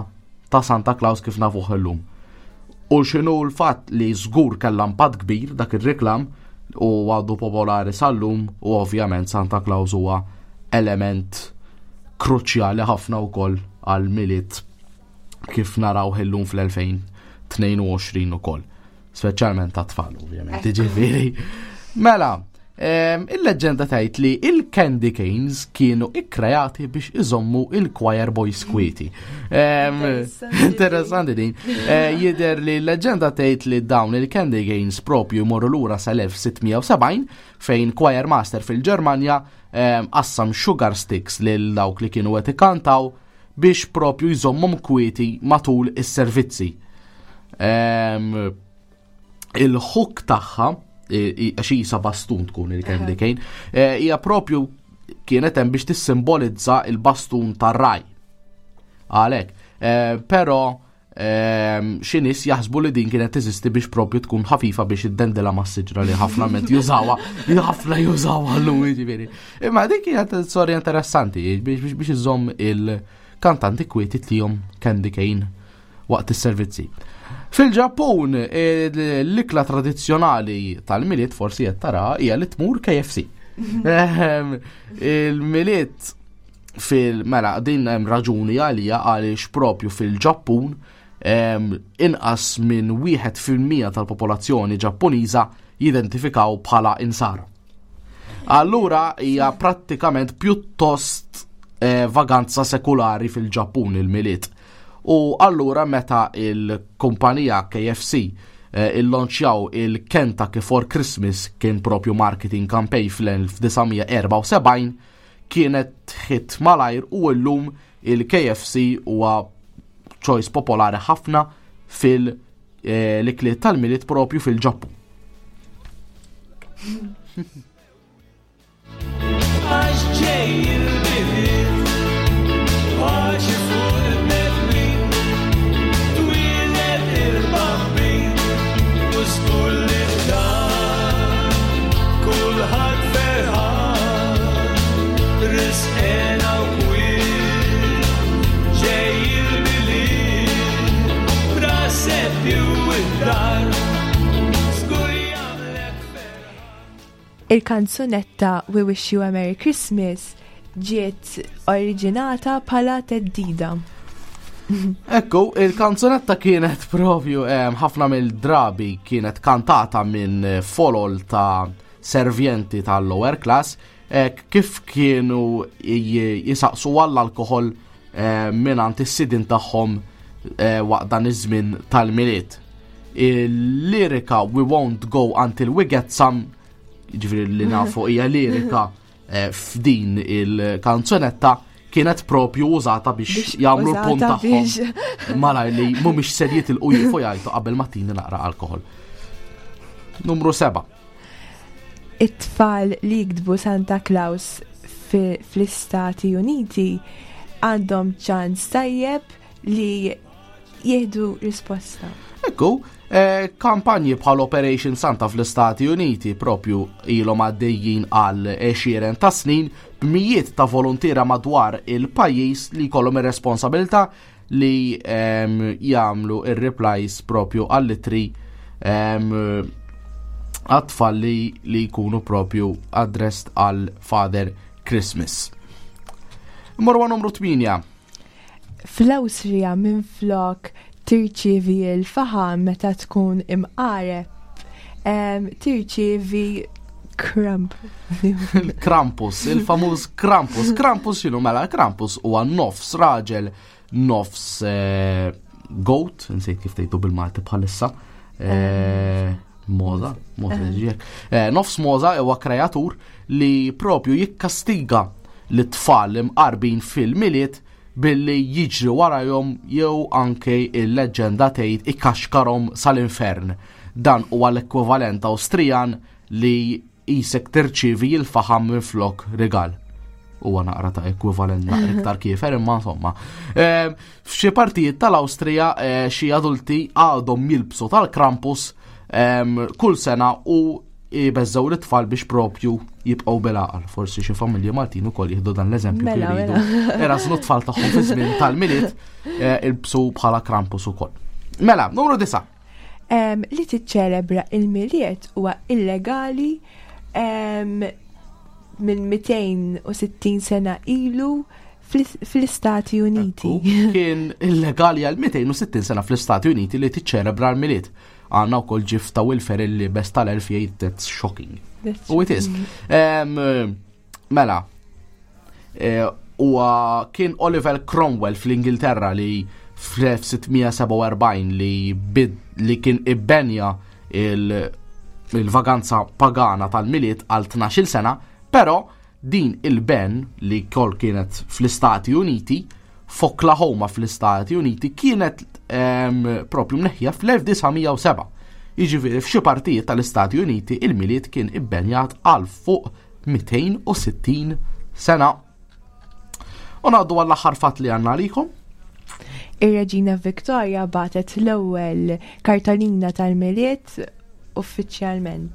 [SPEAKER 8] ta' Santa Claus kif nafuh illum. U x'inhu l-fatt li żgur kellha impatt kbir dak ir-reklam u għadu popolari sal-lum, u ovvjament Santa Claus huwa element kruċjali ħafna wkoll għal Milied kif naraw illum fl-elfejn u tnejn u għoxrin ukoll. Speċjalment ta' tfal, ovvjament. Ġifieri. Mela, em, il-leġenda tgħid li il-candy canes kienu ikkreati biex iżommu il-choir boys kwieti. Em, Interessanti din. Eh, Jidher li l-leġenda tgħid li dawn il-candy canes propju jmorru lura sal-elf sitt mija u sebgħin, fejn choir master fil-Ġermanja em, qassam sugar sticks lil dawk li kienu qed ikantaw biex propju jżommhom kwieti matul is-servizzi. Em, Il-hook tagħha, i- i- għax isa bastun tkun il-candy cane, eh, hija propju kienet hemm biex tissimbolizza il-bastun tar-ragħaj. Għalhekk, eh, però ehm, xi nies jaħsbu li din kienet teżisti biex propju tkun ħafifa biex iddendela mas-siġra, li ħafna ment jużawha, li ħafna jużawha llum, jiġifieri. Imma dik kienet storja interessanti biex biex biex iżomm il-kantanti kwieti tihom candy cane waqt is-servizzi. Fil-Ġappun, l-ikla tradizzjonali tal-Milied, forsi qed tara, hija li tmur K F C. Ehm, Il-Milied fil mela din hemm raġuni għalija, għaliex propju fil-Ġappun em, inqas minn wieħed fil-mija tal-popolazzjoni Ġappuniża jidentifikaw bħala insara. Allura hija prattikament pjuttost eh, vaganza sekulari fil-Ġappun il-Milied. U allura meta il-kumpanija K F C eh, il-launchjaw il-Kentucky for Christmas, kien propju marketing campaign fl-elf disa' mija erbgħa u sebgħin, kienet hit malajr u llum il-K F C huwa choice popolari ħafna fil-ikliet tal-Milied propju fil-Ġappun.
[SPEAKER 13] Għax ġej il-Milied, paċi fuq il-bnedmin, twieled il-Bambin, u żgur li dan kulħadd ferħan, risq hena u kwiet, ġej il-Milied, presepju id-dar, żgur jagħmlek.
[SPEAKER 11] Il-kanzunetta We Wish You a Merry Christmas ġiet oriġinata bħala theddida.
[SPEAKER 8] Ekku, il-kanzunetta kienet propju ħafna mill-drabi kienet kantata minn folol ta' servjenti tal-lower class eh, kif kienu jisaqsu għall-alkohol eh, mingħand is-sidin tagħhom eh, waqt dan iż-żmien tal-Milied. Il-lirika "We won't go until we get some", ġifieri li nafu hija lirika f'din il-kanzunetta, kienet propju użata biex jagħmlu l-punt tagħhom malaj li mhumiex ser jitilqu jifu jgħidu qabel ma tini naqra alkohol. Numru seba'.
[SPEAKER 11] It-tfal li jiktbu Santa Claus fl-Istati Uniti għandhom ċans tajjeb li jieħdu risposta.
[SPEAKER 8] Ekku, eh, kampanji bħal Operation Santa fl-Istati Uniti propju ilhom għaddejjin għal għexieren ta' snin b'mijiet ta' volontira madwar il-pajjiż li jkollhom ir-responsabilità li ehm, jagħmlu ir-replies propju għall-ittri ehm, għat-tfal li, li jkunu propju addressed għal Father Christmas. Morwa numru tmienja.
[SPEAKER 11] Fl-Awstrija minflok tirċievi l-faħam meta tkun imqareb, em, tirċievi kramp.
[SPEAKER 8] Il-Krampus, il-famuż Krampus. Krampus x'inhu mela? Krampus huwa nofs raġel, nofs eh, goat, nsejt kif tgħidu bil-Malti bħalissa. Eh, Mogħża, mogħża ġiek. Eh, Nofs mogħża huwa kreatur li propju jikkastiga l-tfal imqarbin fil-Milied billi jiġri warajhom jew anke il-leġenda tgħid ikaxkarhom sal-infern. Dan huwa l-ekwivalent Awstrijan li jisek tirċivi il-faħam minn flok rigal. Huwa naqra ta' ekwivalent naqra iktar kiefer, imma insomma. Eh, F'xi partijiet tal-Awstrija eh, xi adulti għadhom jilbsu tal-Krampus em, kull sena u jbeżżaw l-tfal biex propju jibqgħu bil-għaqal. Forsi xi familji Maltin ukoll jieħdu dan l-eżempju
[SPEAKER 11] Mela,
[SPEAKER 8] kif
[SPEAKER 11] mela.
[SPEAKER 8] iridu. Irażnu t-tfal tagħhom fi żmien tal-Milied eh, ilbsu bħala Krampus ukoll. Mela, numru disa.
[SPEAKER 11] Em, li tiċċelebra il-Milied huwa illegali em, minn mitejn u sittin sena ilu fl- fl-Istati Uniti.
[SPEAKER 8] Kien illegali għal mitejn u sittin sena fl-Istati Uniti li tiċċelebra l-Milied. Għandna wkoll gif ta' Will Ferrell li best tal-elf jgħid "That's shocking."
[SPEAKER 11] That's
[SPEAKER 8] U it is. Em, Mela, eh, huwa kien Oliver Cromwell fl-Ingilterra li fl-elf sitt mija sebgħa u erbgħin li bid li kien ibbenja il- il-vaganza pagana tal-Milied għal tnax-il sena, però din il-ban li kol kienet fl-Istati Uniti, f'Oklahoma fl-Istati Uniti, kienet em, propju mneħħija fl-elf disa' mija u sebgħa. Jiġifieri f'xi partijiet tal-Istati Uniti il-Milied kien ibbenjat għal fuq mitejn u sittin sena. U ngħaddu għall-aħħar fatt li għandna għalikom.
[SPEAKER 11] Ir-Reġina Victoria bagħtet l-ewwel kartolina tal-Milied uffiċjalment.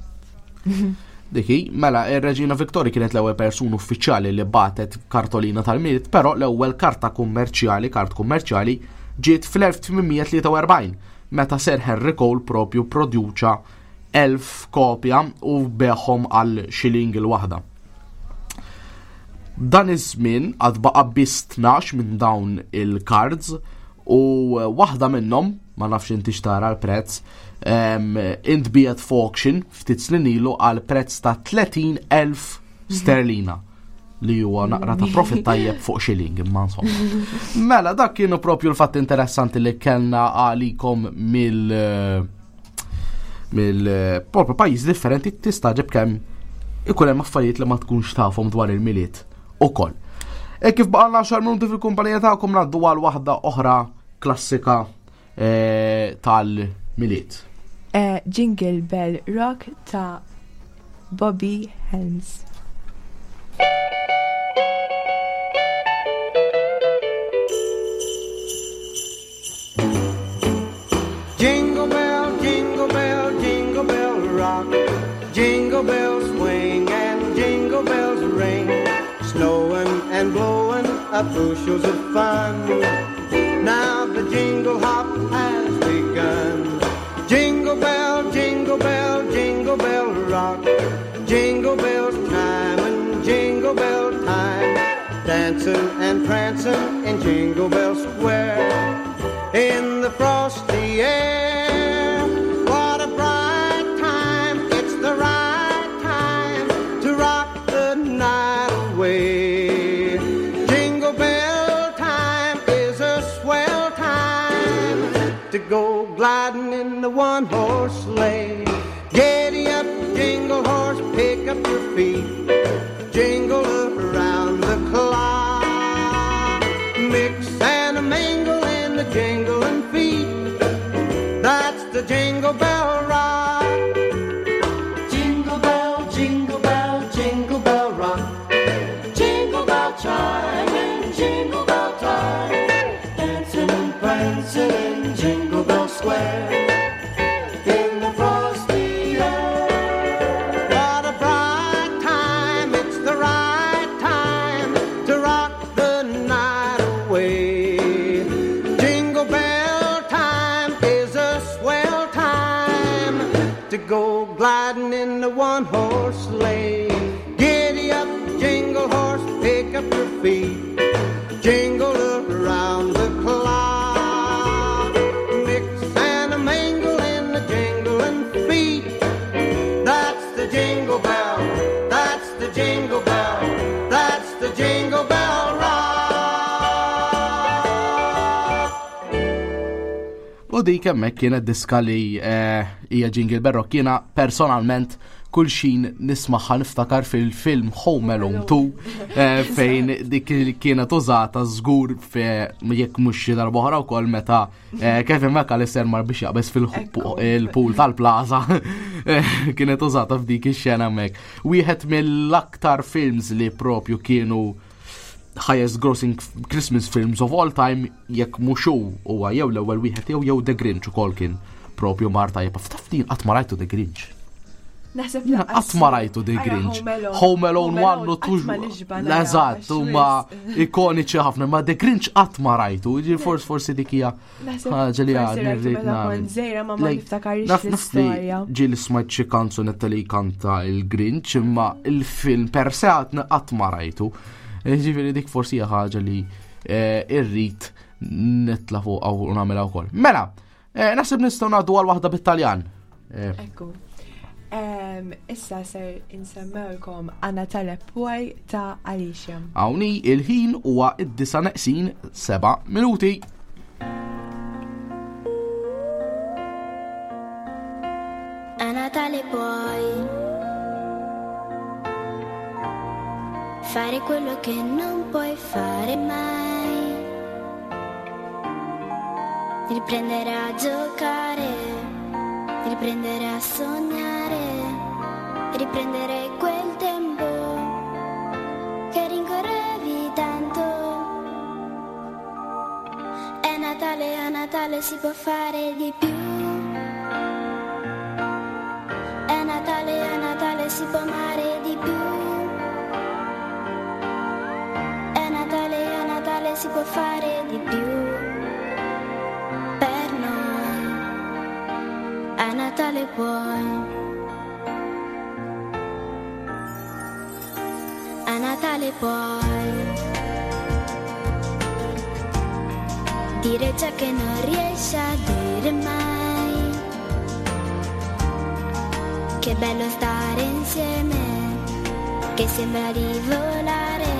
[SPEAKER 8] Diki, mela, ir-Reġina Victoria kienet l-ewwel persuna uffiċjali li bagħtet kartolina tal-Milied, però l-ewwel karta kummerċjali, kart kummerċjali, ġiet fl-elf tmien mija tlieta u erbgħin meta Sir Henry Cole propju produċa elf kopja u begħhom għal shilling il-waħda. Dan iż-żmien għad baqa' biss tnax minn dawn il-cards u waħda minnhom, ma nafx inti xtara l-prezz, em, intbiegħet f'auction ftit snin ilu għal prezz ta' tletin elf sterlina, li huwa naqra ta' profit tajjeb fuq shilling, imma insomma. Mela, dak kienu propju l-fatt interessanti li kellna għalikom mill mill propju pajjiż differenti. Tistagħġeb kemm ikun hemm affarijiet li ma tkunx tafhom dwar il-Milied ukoll. E kif baqgħalna għaxar minuti fil-kumpanija tagħkom, ngħaddu għal waħda oħra klassika eh, tal-Milied.
[SPEAKER 11] Eh, Jingle Bell Rock ta' Bobby Helms.
[SPEAKER 16] Jingle bell, jingle bell, jingle bell rock. Jingle bells swing and jingle bells ring. Snowing and blowing up bushels of fun. Now the jingle hop has begun. Jingle bell, jingle bell, jingle bell rock. Jingle bell time and jingle bell time. Dancing and prancing in Jingle Bell Square. In the frosty air. What a bright time, it's the right time to rock the night away. Jingle bell time is a swell time to go gliding in the one horse sleigh. Giddy up, jingle horse, pick up your feet. Jingle around the clock. Mix and a mingle in the jingling feet. That's the Jingle Bell Rock.
[SPEAKER 14] Jingle bell, jingle bell, jingle bell rock. Jingle bell chime in jingle bell time. Dancing and prancing in Jingle Bell Square. In the frosty air.
[SPEAKER 16] What a bright time, it's the right time to rock the night away. Jingle bell time is a swell time to go gliding in the one horse sleigh. Giddy up, jingle horse, pick up your feet. Jingle around the clock. Mix and a mingle in the jingling feet. That's the jingle bell. That's the jingle bell. That's the jingle bell rock.
[SPEAKER 8] U dik hemmhekk kienet diska li eh, hija Jingle Bell Rock. Jiena personalment kull xin nismaħħa niftakar fil-film Home Alone two eh, fejn dik li kienet użata żgur fe jekk mhux xi darba oħra wkoll meta eh, Kevin McAllister mar biex jaqbeż fil-pool tal-plaza eh, kienet użata f'dik ix-xena hemmhekk. Wieħed mill-aktar films li propju kienu highest grossing Christmas films of all time, jekk mhux hu huwa jew l-ewwel wieħed jew jew The Grinch ukoll kien propju mar tajjeb. Taf li qatt ma rajtu The Grinch.
[SPEAKER 11] Naħseb
[SPEAKER 8] Jiena qatt ma rajtu The
[SPEAKER 11] Ara,
[SPEAKER 8] Grinch.
[SPEAKER 11] Home Alone.
[SPEAKER 8] Home Alone one u
[SPEAKER 11] qatt ma
[SPEAKER 8] two.
[SPEAKER 11] nixba nara,
[SPEAKER 8] L-eżatt,
[SPEAKER 11] għax
[SPEAKER 8] huma
[SPEAKER 11] wisq.
[SPEAKER 8] ikoniċi ħafna, ma The Grinch qatt ma rajtu. Ġi forsi forsi dik hija
[SPEAKER 11] Naħseb
[SPEAKER 8] ħaġa li
[SPEAKER 11] forsi
[SPEAKER 8] għadni
[SPEAKER 11] rajtu
[SPEAKER 8] rrid
[SPEAKER 11] meta kont
[SPEAKER 8] nagħmel.
[SPEAKER 11] żgħira, ma ma
[SPEAKER 8] Like,
[SPEAKER 11] niftakarx
[SPEAKER 8] naf- naf li
[SPEAKER 11] l-istorja.
[SPEAKER 8] Ġieli smajt xi kanzunetta li kanta il-Grinch, imma il-film per se għadni qatt ma rajtu. Eh, Ġifieri dik forsi hija ħaġa li eh, irrid nitla fuq u nagħmilha wkoll. Mela, eh, naħseb nistgħu ngħaddu għal waħda bit-Taljan. Eh,
[SPEAKER 11] Ekku. Em, Issa ser insemmewlkom A Natale Puoi ta' Alicia.
[SPEAKER 8] Hawnni il-ħin huwa id-disa neqsin seba' minuti.
[SPEAKER 9] A Natale puoi fare quello che non puoi fare mai, riprendere a giocare, riprendere a sognare, riprendere quel tempo che rincorrevi tanto. È Natale, a Natale si può fare di più. È Natale, a Natale si può amare di più. È Natale, a Natale si può fare di più. Per noi, a Natale puoi. A Natale puoi dire ciò che non riesci a dire mai. Che bello stare insieme, che sembra di volare,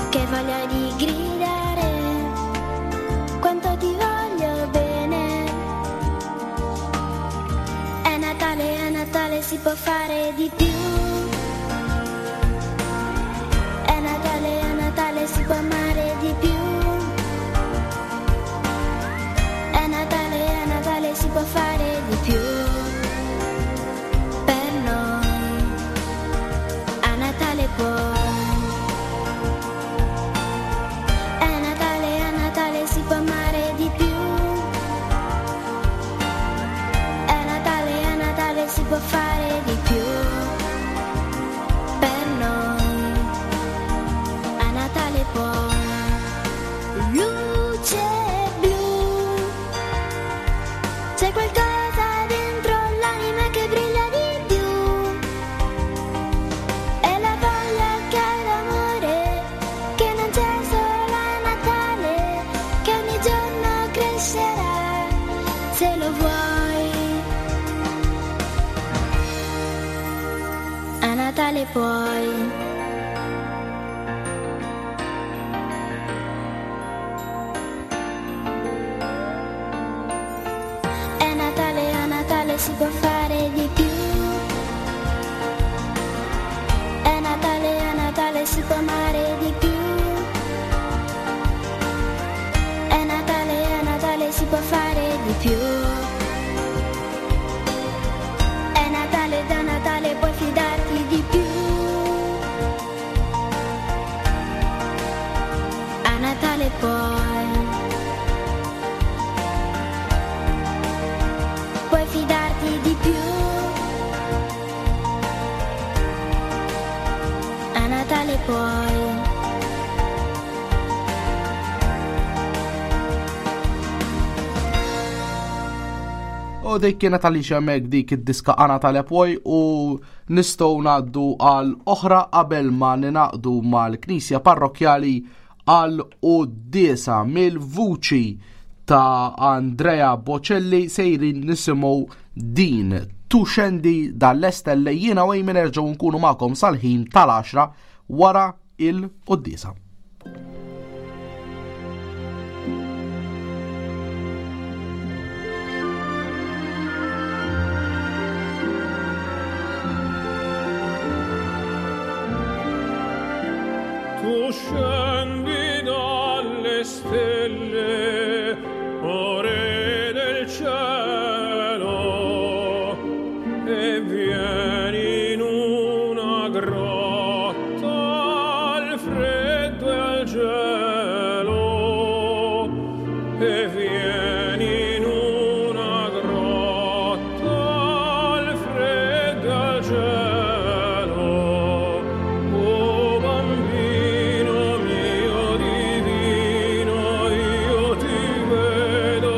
[SPEAKER 9] che voglia di gridare, quanto ti voglio bene. È Natale, a Natale si può fare di più. È Natale, a Natale si può amare di più. È Natale, a Natale si può fare di più. Per noi, a Natale puoi. È Natale, a Natale si può amare di più. È Natale, a Natale si può fare di più. Natale puoi. È Natale, a Natale si può fare di più. È Natale, a Natale si può amare di più. È Natale, a Natale si può fare di più. È Natale, da Natale puoi fidarti di più. A Natale puoi. Puoi fidarti di più. A Natale puoi.
[SPEAKER 8] U dik kienet għaliex hemmhekk dik id-diska A Natale Puoi u nistgħu ngħaddu għal oħra qabel ma ninaqdu mal-Knisja Parrokkjali għal quddiesa mill-vuċi ta' Andrea Bocelli sejrin nisimgħu din Tu Scendi dalle stelle. Jiena u Amy nerġgħu nkunu magħkom sal-ħin tal-għaxra wara il-quddiesa.
[SPEAKER 17] Tu scendi dalle stelle, o re del cielo, e vieni in una grotta al freddo e al gelo, e vieni in una grotta al freddo e al gelo, o bambino mio divino, io ti vedo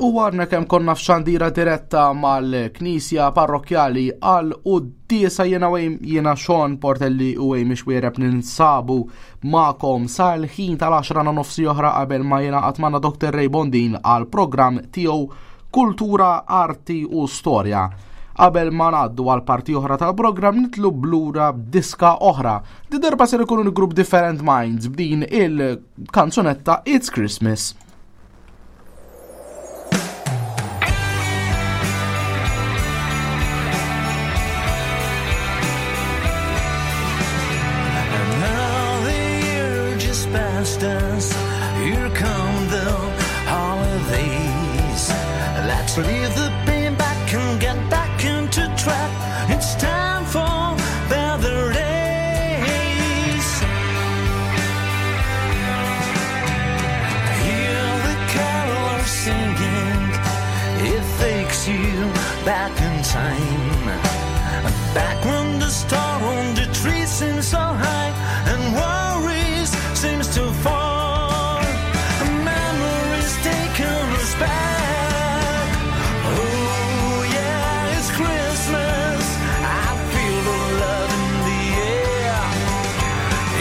[SPEAKER 8] U għadna kemm konna f'xandira diretta mal-Knisja Parrokkjali għal quddiesa jiena jiena Sean Portelli u Amy Xuereb ninsabu magħkom sal-ħin tal-għaxra na nofsi oħra qabel ma jingħaqad magħna Doktor Ray Bondin għal programm tiegħu Kultura, Arti u Storja. Qabel ma ngħaddu għal parti oħra tal-programm nitlu blura b'diska oħra. Di darba ser ikunu l-grupp Different Minds b'din il-kanzunetta It's Christmas.
[SPEAKER 18] And now the year just passed us. Here come the holidays. Let's leave the pain back and get back into track. It's time for better days. Hear the carolers singing. It takes you back in time. Back when the star on the tree seems so high and worries seems too far. Memories taking us back. Oh yeah, it's Christmas. I feel the love in the air.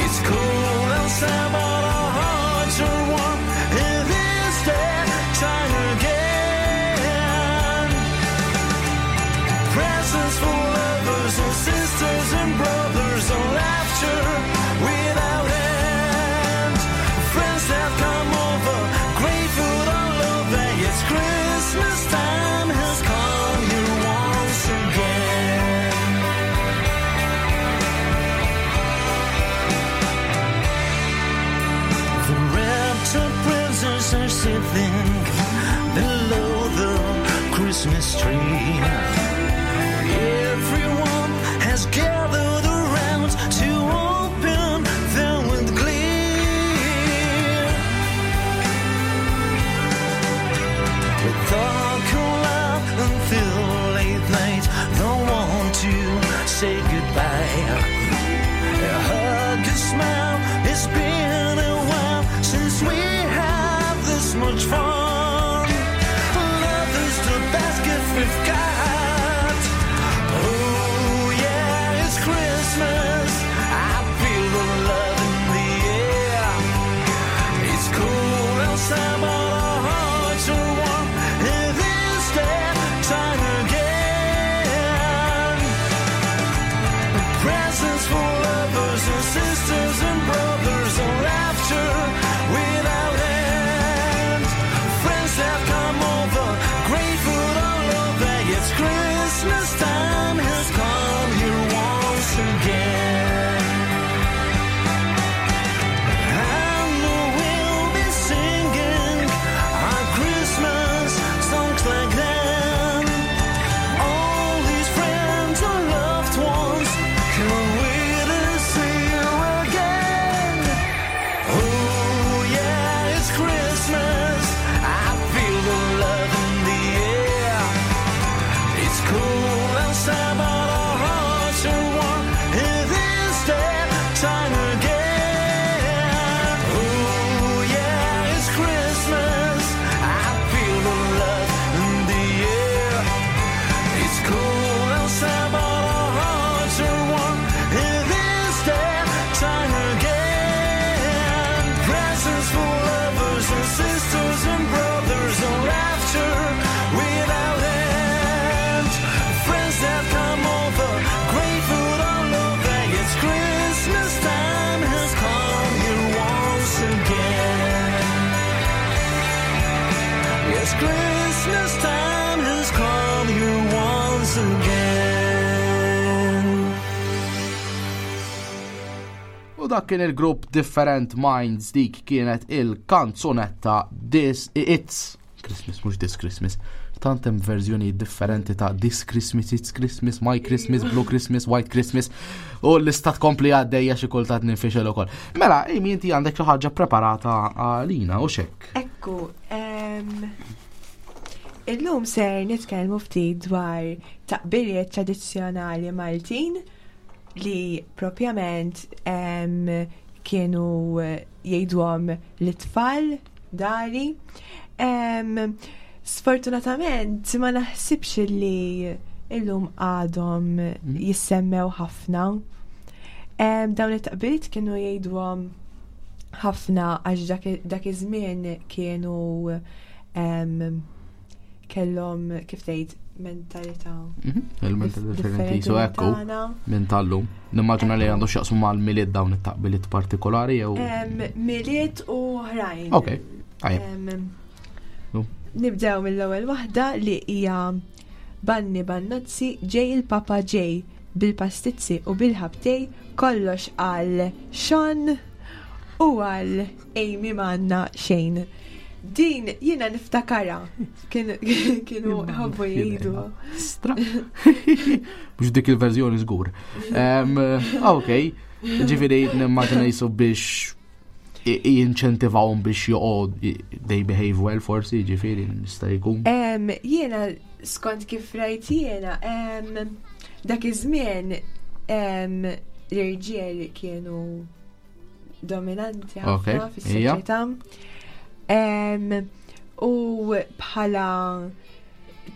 [SPEAKER 18] It's cold outside, but our hearts are warm. It is that time again. Presents for lovers and sisters and brothers and laughter without end. Friends have come over, great food all over. It's Christmas time has come here once again. The raptor presents are sitting below the Christmas tree. Everyone has gathered around to open them with glee. We talk and laugh until late night. Don't want to say goodbye. A hug, a smile. It's been a while since we had this much fun. Love is the best gift we've got. Oh yeah, it's Christmas. I feel the love in the air. It's cold outside, but our hearts are warm. It is that time again. Presents for lovers and sisters and brothers and laughter without end. Friends have come over, great food all over. It's Christmas time has come here once again. And we'll be singing our Christmas songs like them. All these friends and loved ones can't wait to see you again. Oh yeah, it's Christmas. I feel the love in the air. It's cold outside, but our hearts are warm. It is that time again. Oh yeah, it's Christmas. I feel the love in the air. It's cold outside, but our hearts are warm. It is that time again. Presents for lovers and sisters and brothers and laughter without end. Friends have come over, great food all over. It's Christmas time has come here once again. Yes, Christmas time has come here once again.
[SPEAKER 8] U dak kien il-grupp Different Minds, dik kienet il-kanzunetta This It's Christmas, mhux This Christmas. Tant hemm verżjoni differenti ta' This Christmas, It's Christmas, My Christmas, Blue Christmas, White Christmas u l-lista tkompli għaddejja xi kultant ninfixel ukoll. Mela, Amy, inti għandek xi ħaġa preparata għalina u xek.
[SPEAKER 11] Ekku, em, illum ser nitkellmu ftit dwar taqbiriet tradizzjonali Maltin li propjament em, kienu eh, jgħiduhom l-tfal dari. Em, Sfortunatament ma naħsibx li illum għadhom jissemmew ħafna. Em, Dawn it-taqbiliet kienu jgħiduhom ħafna għax dak- dak iż-żmien kienu em, kellhom kif tgħid mentalità
[SPEAKER 8] Il-mentalità differenti, so
[SPEAKER 11] minn
[SPEAKER 8] ekku,
[SPEAKER 11] tagħna.
[SPEAKER 8] minn tal-lum. Nimmaġina li għandu x'jaqsmu mal-Milied dawn it-taqbiliet partikolari jew.
[SPEAKER 11] Em, Milied u oħrajn.
[SPEAKER 8] Ok, tajjeb.
[SPEAKER 11] Em,
[SPEAKER 8] Nu.
[SPEAKER 11] Nibdew mill-ewwel waħda li hija Banni Bannozzi ġej il-Papa ġej bil-pastizzi u bil-ħabtej kollox għal Sean u għal Amy manna xejn. Din jiena niftakara Kien- kienu ħobbu jgħidu.
[SPEAKER 8] Stra. Mhux dik il-verżjoni żgur. Em, Ok, ġifieri nimmaġina jisu biex i- jinċentivawhom biex joqgħod they behave well forsi, ġifieri nista' jkun.
[SPEAKER 11] Em, Jiena skont kif rajt jiena, em, dak iż-żmien em, l-irġiel kienu dominanti
[SPEAKER 8] Ok,
[SPEAKER 11] ħafna fis-soċjetà. Em, U bħala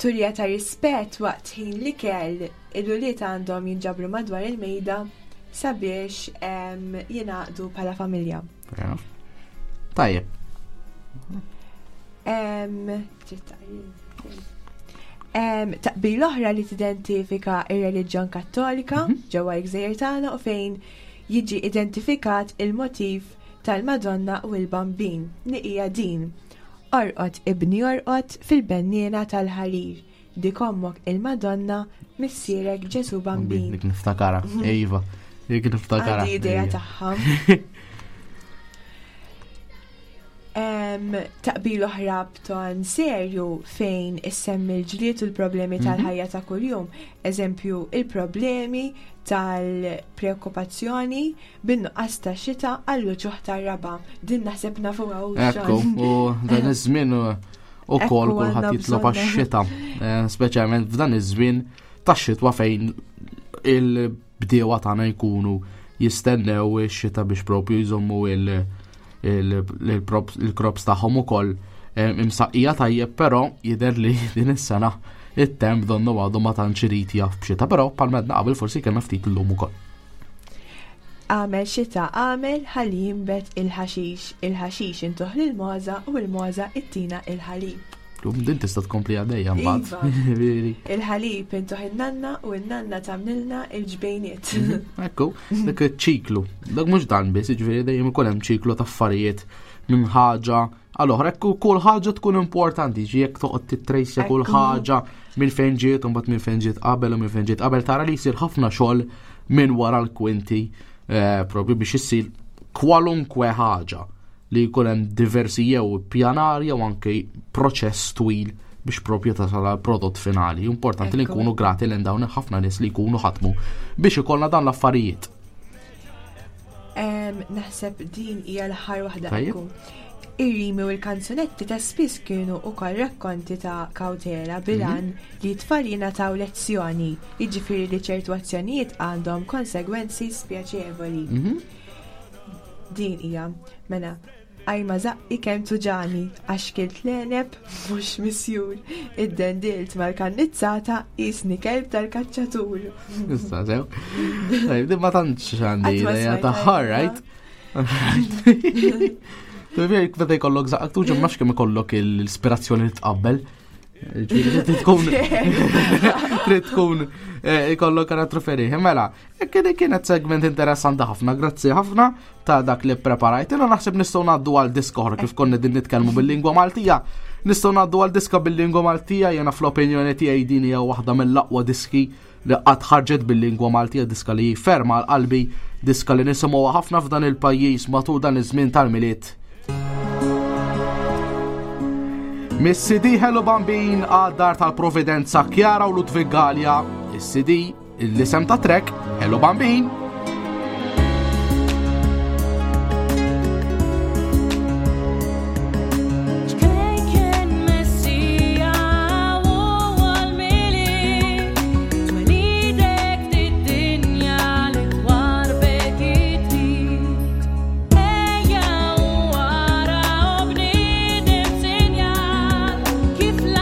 [SPEAKER 11] turija ta' rispett waqt ħin l-ikel il-uliet għandhom jinġabru madwar il-mejda sabiex em, jingħaqdu bħala familja.
[SPEAKER 8] Fair enough. Tajjeb.
[SPEAKER 11] Em, Em, Taqbil oħra li tidentifika ir-reliġjon kattolika ġewwa l-gżejjer tagħna u fejn jiġi identifikat il-motiv tal-Madonna u l-Bambin li hija din. Orqod ibni orqod fil-benniena tal-ħarir. Dik ommok il-Madonna missierek Ġesu Bambin.
[SPEAKER 8] Dik niftakara. Iva, dik niftakara.
[SPEAKER 11] Għandi idea
[SPEAKER 8] Iva.
[SPEAKER 11] tagħha. Em, Taqbil oħra b'ton serju fejn issemmi l-ġlied u l-problemi
[SPEAKER 8] Mhm.
[SPEAKER 11] tal-ħajja ta' kuljum. Eżempju, il-problemi tal-preokkupazzjoni bin-nuqqas ta' xita għall-uċuħ tar-raba. Din naħseb nafuha u
[SPEAKER 8] Ekku, u dan iż-żmien u
[SPEAKER 11] Ekku,
[SPEAKER 8] kol kulħadd
[SPEAKER 11] għandna
[SPEAKER 8] jitlob
[SPEAKER 11] bżonna.
[SPEAKER 8] għax-xita, eh, speċjalment f'dan iż-żmien tax-xitwa fejn il-bdiewa tagħna jkunu jistennew ix-xita biex propju jżommu il- il- il-props il-crops tagħhom ukoll eh, imsaqqija tajjeb, però jidher li din is-sena it-temp donnu għadu ma tantx irid jaf b'xita, però palmedna qabel forsi kellna ftit illum ukoll.
[SPEAKER 11] Għamel xita għamel ħalli jimbet il-ħaxix, il-ħaxix intuħ lil-moża u l-moża ittina il-ħalib.
[SPEAKER 8] Lum din tista' tkompli għaddejja mbagħad.
[SPEAKER 11] Iva.
[SPEAKER 8] Veri.
[SPEAKER 11] Il-ħalib intuħ in-nanna u n-nanna tagħmlilna il-ġbejniet.
[SPEAKER 8] Ekku, dak iċ-ċiklu. Dak mhux dan biss, jiġifieri dejjem ikun hemm ċiklu ta' affarijiet minn ħaġa għal oħra. Ekku kull ħaġa tkun importanti, ġi jekk toqgħod titrejsja kull
[SPEAKER 11] Ekku.
[SPEAKER 8] ħaġa minn fejn ġiet u mbagħad minn fejn ġiet qabel u minn fejn ġiet qabel tara li jsir ħafna xogħol minn wara l-kwinti eh, propju biex issir kwalunkwe ħaġa li jkun hemm diversi jew pjanar jew anke proċess twil biex propju tasal għal prodott finali. Importanti li
[SPEAKER 11] Ekku.
[SPEAKER 8] nkunu grati lejn dawn ħafna nies li jkunu ħatmu biex ikollna dan l-affarijiet.
[SPEAKER 11] Em, Naħseb din hija l-aħħar waħda
[SPEAKER 8] Tajjeb.
[SPEAKER 11] ekku. Ir-rimi u l-kanzunetti ta' spiss kienu wkoll rakkonti ta' kawtela bilan li t-tfal jingħataw lezzjoni, jiġifieri li ċertu azzjonijiet għandhom konsegwenzi spjaċevoli.
[SPEAKER 8] Mhm.
[SPEAKER 11] Din hija, mela, għajma zaqqi kemm tuġani, għax kilt l-eneb mhux misjur, id-dendilt mal-kannizzata jisni kelb tal-kaċċatur.
[SPEAKER 8] Issa sew. Tajjeb, din ma tantx għandi
[SPEAKER 11] Qatt ma
[SPEAKER 8] idea
[SPEAKER 11] smajtha
[SPEAKER 8] tagħha,
[SPEAKER 11] jiena.
[SPEAKER 8] right? Alright. Meta jkollok zaqak tuġa ma kemm ikollok l-ispirazzjoni li tqabbel. Ġifieri trid tkun trid tkun eh, ikollok karattru ferih. Mela, kien kienet segment interessanti ħafna, grazzi ħafna ta' dak li preparajt. Jiena naħseb nistgħu ngħaddu għal diska oħra kif konna din nitkellmu bil-lingwa Maltija. Nistgħu ngħaddu għal diska bil-lingwa Maltija, jiena fl-opinjoni tiegħi din hija waħda mill-aqwa diski li qatt ħarġet bil-lingwa Maltija, diska li ferma għal qalbi, diska li nisimgħuha ħafna f'dan il-pajjiż matul dan iż-żmien tal-Milied. Mis-C D Hello Bambin għad dar tal-Providenza Chiara u Ludwig Gallia, is-C D l-isem ta' trek Hello Bambin.
[SPEAKER 19] Ċkejken Messija u għal-Milied, twelidek fid-dinja li twarbek it-trid. Ejja u ara u bniedem sinjal kif l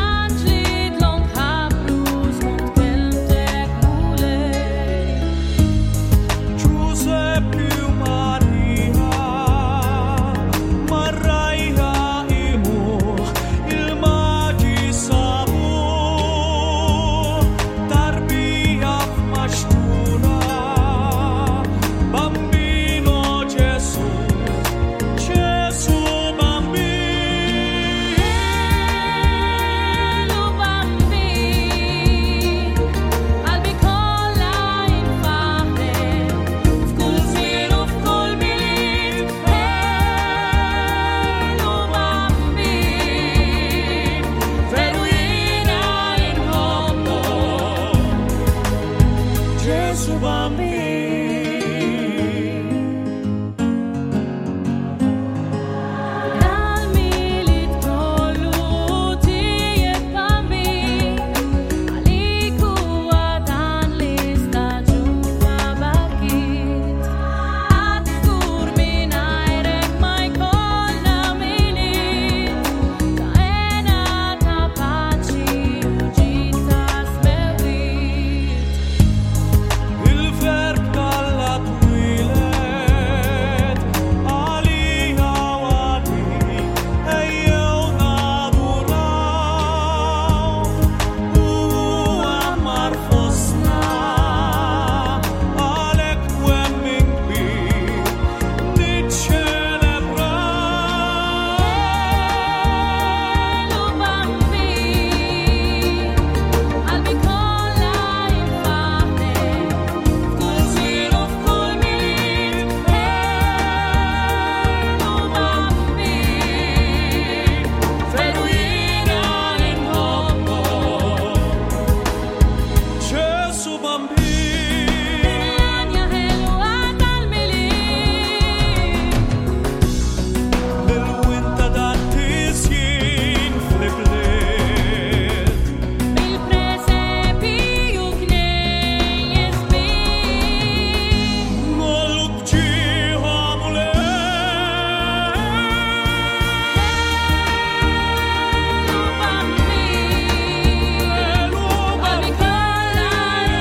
[SPEAKER 18] Bambin.
[SPEAKER 19] Dal-Milied kollu tiegħek Bambin, għalik huwa dan l-istaġun bakit. Għad żgur mingħajrek ma jkollna Milied, ta' hena ta' paċi u ġid ta' smewwiet.
[SPEAKER 17] Il-verb talla twilet għalija u għalik ejjew naduraw u għammar fostna għalek twemmin kbir niċċelebraw.
[SPEAKER 19] Elu Bambin, qalbi kollha infaħlek, f'kull żmien u f'kull Milied. Elu Bambin,
[SPEAKER 17] Veru jiena inħobbok, Ġesu Bambin.
[SPEAKER 19] Anja ħelwa tal-Milied.
[SPEAKER 17] Lil-winta dat-tisjin fl-ibliet.
[SPEAKER 19] Bil-presepi u knejjes bir.
[SPEAKER 17] Nollu bġieħa
[SPEAKER 19] Elu Bambin, qalbi kollha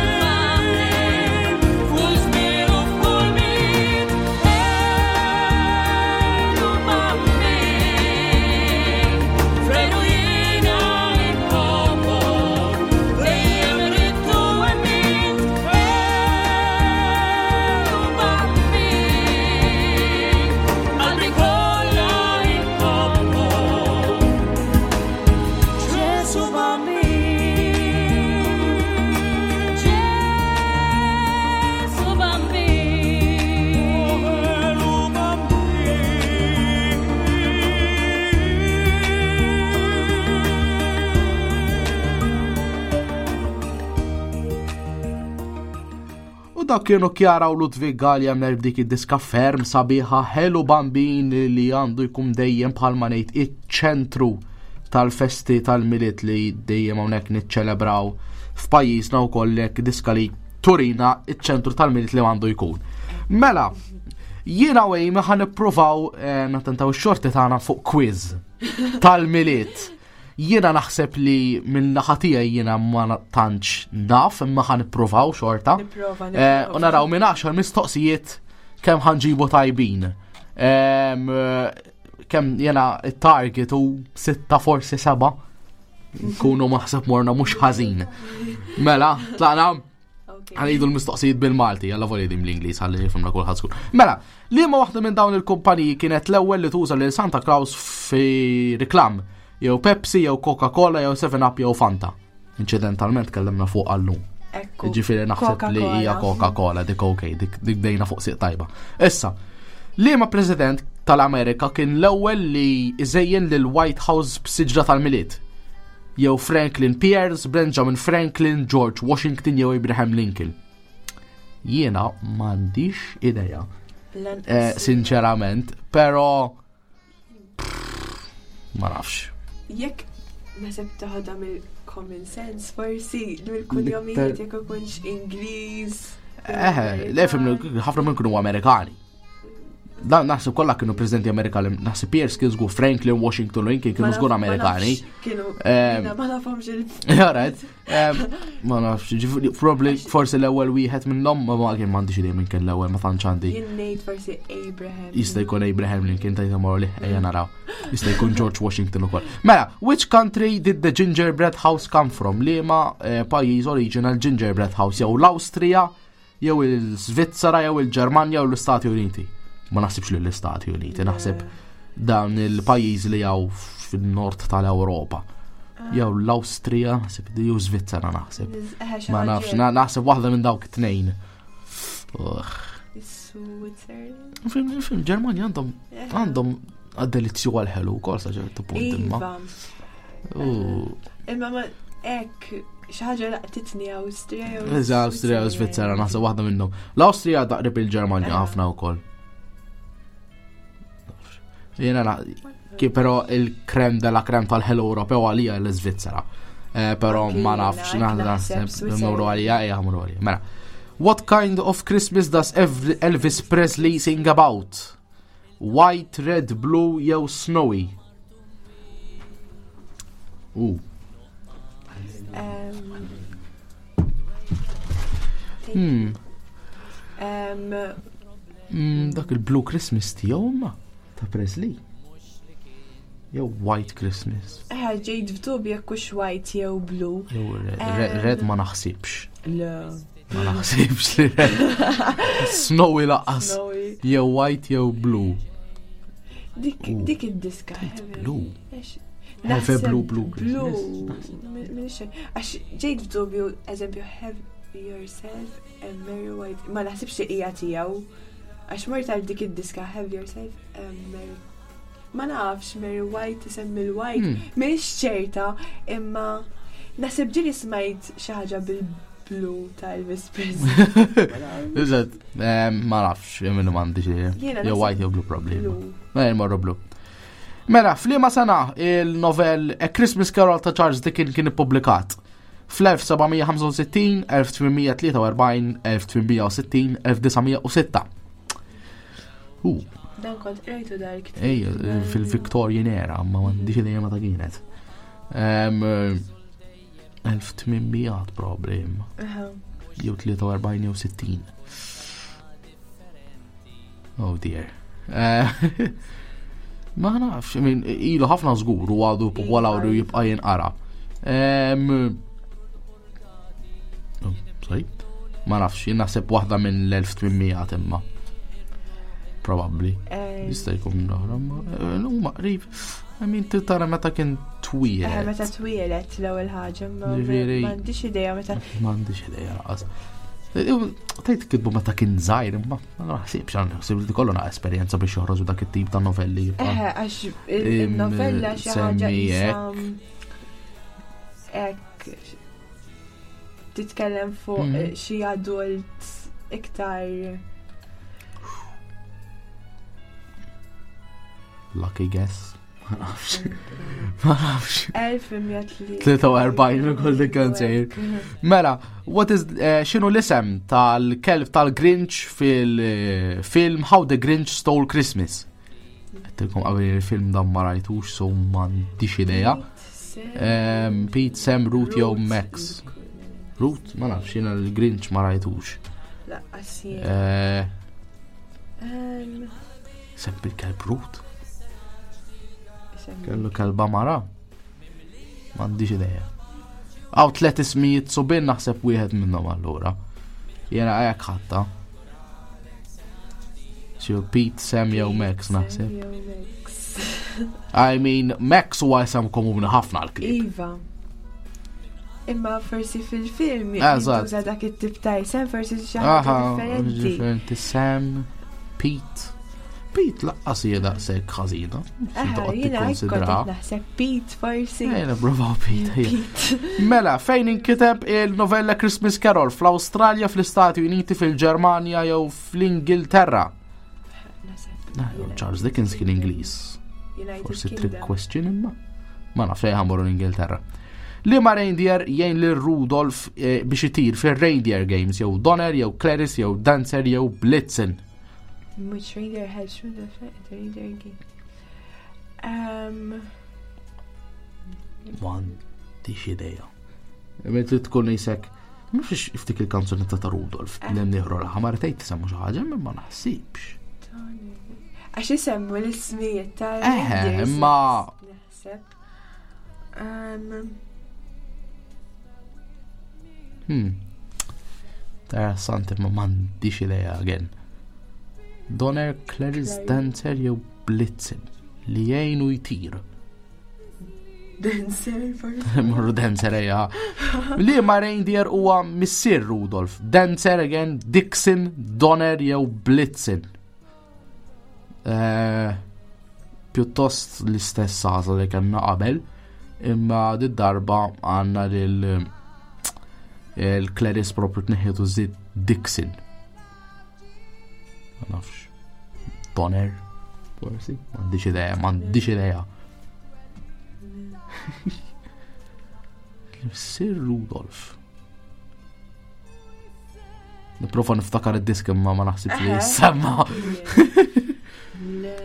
[SPEAKER 19] infaħlek, f'kull żmien u f'kull Milied. Elu Bambin, veru jiena inħobbok, dejjem ridt u emmint. Elu Bambin, qalbi kollha inħobbok,
[SPEAKER 17] Ġesu Bambin.
[SPEAKER 19] Ġesu Bambin.
[SPEAKER 17] Elu Bambin.
[SPEAKER 8] U dak kienu Kjara u Ludwig Gallia mer b'dik id-diska ferm sabiħa Hello Bambin li għandu jkun dejjem bħalma ngħid iċ-ċentru tal-festi tal-Milied li dejjem hawnhekk niċċelebraw f'pajjiżna wkoll hekk diska li turina iċ-ċentru tal-Milied li għandu jkun. Mela, jiena u Amy ħa nippruvaw eh, nattentaw ix-xorti tagħna fuq quiz tal-Milied. Jiena naħseb li minn naħa tiegħi jiena ma na- tantx naf imma ħa nippruvaw xorta.
[SPEAKER 11] Nipprova,
[SPEAKER 8] Eh,
[SPEAKER 11] nipprova.
[SPEAKER 8] U naraw minn għaxar mistoqsijiet kemm ħanġibu tajbin. Em, eh, Kemm jiena it-target u sitta forsi seba. Nkunu maħseb morna mhux ħażin. Mela, tlaqna. Ħanidu l-mistoqsijiet bil-Malti, għalla voli dim l-Inglis, ħalli jifhimna kulħadd skur. Mela, liema waħda minn dawn il-kumpaniji kienet l-ewwel li tuża lil Santa Claus fi reklam, jew Pepsi, jew Coca-Cola, jew Seven Up, jew Fanta. Incidentalment kellimna fuq għallum.
[SPEAKER 11] Ekku.
[SPEAKER 8] Ġifieri naħseb li hija Coca-Cola, dik ok, dik dik dejna fuq siq tajba. Issa, liema president tal-Amerika kien l-ewwel li iżejjen lil White House b'siġra tal-Milied? Jew Franklin Pierce, Benjamin Franklin, George Washington jew Abraham Lincoln. Jiena m'għandix idea.
[SPEAKER 11] Lanqas.
[SPEAKER 8] Eh, sinċerament, però pff, ma nafx.
[SPEAKER 11] Jekk naħseb taħodha mill-common sense forsi, mill-kunjomijiet jekk ikunx Ingliż.
[SPEAKER 8] Eh, le fimni, ħafna minn kienu Amerikani. Dan naħseb kollha kienu presidenti Amerikani, naħseb Pierce kien żgur Franklin, Washington, Lincoln kienu
[SPEAKER 11] Ma naf-
[SPEAKER 8] żgur
[SPEAKER 11] ma
[SPEAKER 8] Amerikani.
[SPEAKER 11] nafx Kienu,
[SPEAKER 8] Ehm,
[SPEAKER 11] jiena ma nafhomx il-
[SPEAKER 8] Alright, ehm, ma nafx, ġifieri, probably forsi l-ewwel wieħed minnhom, ma ma kien m'għandix idea minn kien l-ewwel, ma tantx għandi.
[SPEAKER 11] Jien ngħid forsi Abraham.
[SPEAKER 8] Jista' jkun Abraham Lincoln tajta morru li ejja naraw. Jista' jkun George Washington ukoll. Mela, which country did the gingerbread house come from? Liema eh, pajjiż original gingerbread house jew l-Awstrija, jew il-Svizzera, jew il-Ġermanja jew l-Istati Uniti. Ma naħsibx li l-Istati Uniti, naħseb dan il-pajjiż li jew fin-nord tal-Ewropa. Jew l-Awstrija, naħseb jew Svizzera naħseb.
[SPEAKER 11] Eh, xi
[SPEAKER 8] Ma
[SPEAKER 11] ħaġa
[SPEAKER 8] nafx,
[SPEAKER 11] hekk.
[SPEAKER 8] na- naħseb waħda minn dawk it-tnejn. Ugh.
[SPEAKER 11] Switzerland.
[SPEAKER 8] Fil- Fil-Ġermanja għandhom għandhom għad-delizzju għal-ħelu wkoll sa ċertu punt imma.
[SPEAKER 11] Iva.
[SPEAKER 8] U-
[SPEAKER 11] Imma ma Ek, xi ħaġa laqtitni Awstrija jew
[SPEAKER 8] Iżda Awstrija u Svizzera, naħseb waħda minnhom. L-Awstrija daqrib il-Ġermanja ħafna wkoll. Jiena na- ki però il-crème de la crème tal-ħelu Ewropew għalija l-Svizzera. Eh, Però
[SPEAKER 11] Anki
[SPEAKER 8] ma
[SPEAKER 11] jiena,
[SPEAKER 8] nafx,
[SPEAKER 11] hekk
[SPEAKER 8] naħseb
[SPEAKER 11] naħseb Switzerland.
[SPEAKER 8] mmorru għalija, ejja mmorru għalija. Mela. What kind of Christmas does Ev- Elvis Presley sing about? White, red, blue jew snowy? U.
[SPEAKER 11] Um,
[SPEAKER 8] Hmm.
[SPEAKER 11] um,
[SPEAKER 8] Mm, dak il-Blue Christmas tiegħu imma ta' Presley. Jew White Christmas.
[SPEAKER 11] Eh, ġejt f'dubju jekk hux white jew blue.
[SPEAKER 8] Jew red,
[SPEAKER 11] Em,
[SPEAKER 8] red, red ma naħsibx.
[SPEAKER 11] Le.
[SPEAKER 8] Ma naħsibx li red. Snowy lanqas.
[SPEAKER 11] Snowy.
[SPEAKER 8] Jew white jew blue.
[SPEAKER 11] Dik
[SPEAKER 8] Ooh.
[SPEAKER 11] dik id-diska.
[SPEAKER 8] Blue.
[SPEAKER 11] Għax-
[SPEAKER 8] Have a
[SPEAKER 11] naħseb
[SPEAKER 8] blue, blue
[SPEAKER 11] Blue.
[SPEAKER 8] Christmas.
[SPEAKER 11] Minix- Għax ġejt f'dubju, eżempju, have yourself a merry white. Ma naħsibx li hija tiegħu. Għax mort għal dik id-diska, have yourself a merry. Ma nafx, Mary White isemmi l-white.
[SPEAKER 8] Hmm.
[SPEAKER 11] Minix ċerta, imma naħseb ġieli smajt xi ħaġa bil-blu ta' Elvis Presley.
[SPEAKER 8] Iżed, ma nafx, minnu m'għandix idea.
[SPEAKER 11] Jiena
[SPEAKER 8] Jew
[SPEAKER 11] naħseb
[SPEAKER 8] white jew blue probably.
[SPEAKER 11] blue.
[SPEAKER 8] Mela morru blue. Mela, f'liema sena il-novel A Christmas Carol ta' Charles Dickens kien ippubblikat? Fl-elf seba' mija ħamsa u sittin, elf tmien mija tlieta u erbgħin, elf tmien mija u sittin, elf disa' mija u sitta. U,
[SPEAKER 11] Dan kont rajtu dal-ktieb.
[SPEAKER 8] ej, fil-Victorian era, ma m'għandix idea meta kienet. Em, elf tmien mija probably, imma.
[SPEAKER 11] Aha.
[SPEAKER 8] Jew tlieta u erbgħin jew sittin. Oh dear. Eh, Ma nafx, I mean, ilu ħafna żgur u għadu popolari u jibqa' jinqara. Em, oh, sorry. Ma nafx, jien naħseb waħda minn l-elf tmien mija imma. Probably.
[SPEAKER 11] Eh.
[SPEAKER 8] Jista' jkun l-oħra, ma eh, huma qrib. I mean, tara meta kien
[SPEAKER 11] Eh,
[SPEAKER 8] twieled.
[SPEAKER 11] meta twieled l-ewwel ħaġa, ma
[SPEAKER 8] Ġifieri-
[SPEAKER 11] m'għandix idea meta
[SPEAKER 8] M'għandix idea lanqas. Tgħid kitbu meta kien żgħir, imma ma naħsibx għan naħsib li kollu na esperjenza biex joħroġu dak it-tip ta' novelli.
[SPEAKER 11] Eh, għax il- il-novella xi ħaġa
[SPEAKER 8] Semmi
[SPEAKER 11] qisha hekk titkellem fuq
[SPEAKER 8] Mhm.
[SPEAKER 11] eh, xi adult iktar
[SPEAKER 8] Lucky guess. Ma nafx. Ma nafx.
[SPEAKER 11] elf mija
[SPEAKER 8] tlieta u erbgħin ukoll dik kien sejr. Mela, what is eh, x'inhu l-isem tal-kelb tal-Grinch fil-film How the Grinch Stole Christmas? Għedtilkom qabel il-film dan ma rajtux, so m'għandix idea. Em, Pete, Sam, Root jew Max. Root? Ma nafx, jiena l-Grinch ma rajtux.
[SPEAKER 11] Lanqas jien.
[SPEAKER 8] Eh,
[SPEAKER 11] Em,
[SPEAKER 8] Sem bil-kelb Root?
[SPEAKER 11] isem-
[SPEAKER 8] Kellu kelba mara? M'għandix idea. Għaw tlet ismijiet subien, naħseb wieħed minnhom allura. Jena għajak ħatta. Xi Pete, Sam jew Max naħseb.
[SPEAKER 11] jew Max.
[SPEAKER 8] I mean, Max huwa isem komuni ħafna għal-klib.
[SPEAKER 11] Iva. Imma forsi fil-film
[SPEAKER 8] Eżatt.
[SPEAKER 11] jintuża dak it-tip ta' isem, forsi xi ħaġa
[SPEAKER 8] Aha,
[SPEAKER 11] differenti.
[SPEAKER 8] differenti. Sam, Pete. Pete lanqas hija daqshekk ħażina.
[SPEAKER 11] Aha,
[SPEAKER 8] Toqgħod
[SPEAKER 11] jiena hekk kont
[SPEAKER 8] tikkonsidra.
[SPEAKER 11] qed naħseb Pete forsi.
[SPEAKER 8] Ejja, bravo Pete. ejja. Mela, fejn inkiteb il-novella Christmas Carol? Fl-Awstralja, fl-Istati Uniti, fil-Ġermanja jew fl-Ingilterra?
[SPEAKER 11] Naħseb
[SPEAKER 8] Charles Dickens kien Ingliż.
[SPEAKER 11] United
[SPEAKER 8] Forsi trick
[SPEAKER 11] Kingdom.
[SPEAKER 8] question imma. Ma nafx fejn ħa mmorru l-Ingilterra. Liema reindeer jgħin lil Rudolf eh, biex itir fil-Reindeer Games jew Donner jew Clarence jew Dancer jew Blitzen.
[SPEAKER 11] Which reindeer has Rudolph the reindeer game? Um,
[SPEAKER 8] M'għandix idea. Meta tkun jisek, mhux iftik il-kanzunetta ta' Rudolf, l-imnieħru l-ħamar tgħid tisemmu xi ħaġa, imma ma naħsibx.
[SPEAKER 11] Għax isemmu l-ismijiet ta'
[SPEAKER 8] Eħe,
[SPEAKER 11] reindeers,
[SPEAKER 8] imma-
[SPEAKER 11] Naħseb. Um,
[SPEAKER 8] Hmm. Interessanti, ma m'għandix idea again. Donner, Clarence, Dancer jew Blitzen li jgħinu jtir.
[SPEAKER 11] Dancer forsi.
[SPEAKER 8] Morru Dancer ejja. Liema reindeer huwa missier Rudolf. Dancer again, Dixon, Donner jew Blitzen. Eh, Pjuttost l-istess għażla li kellna qabel. Imma did-darba għandna lil il-Clarice propju tneħħitu żid Dixon. Ma nafx. Donner, forsi? M'għandix idea, m'għandix idea. Sir Rudolph. Niprofa niftakar id-disk imma ma naħsibx li jissemma.
[SPEAKER 11] Le.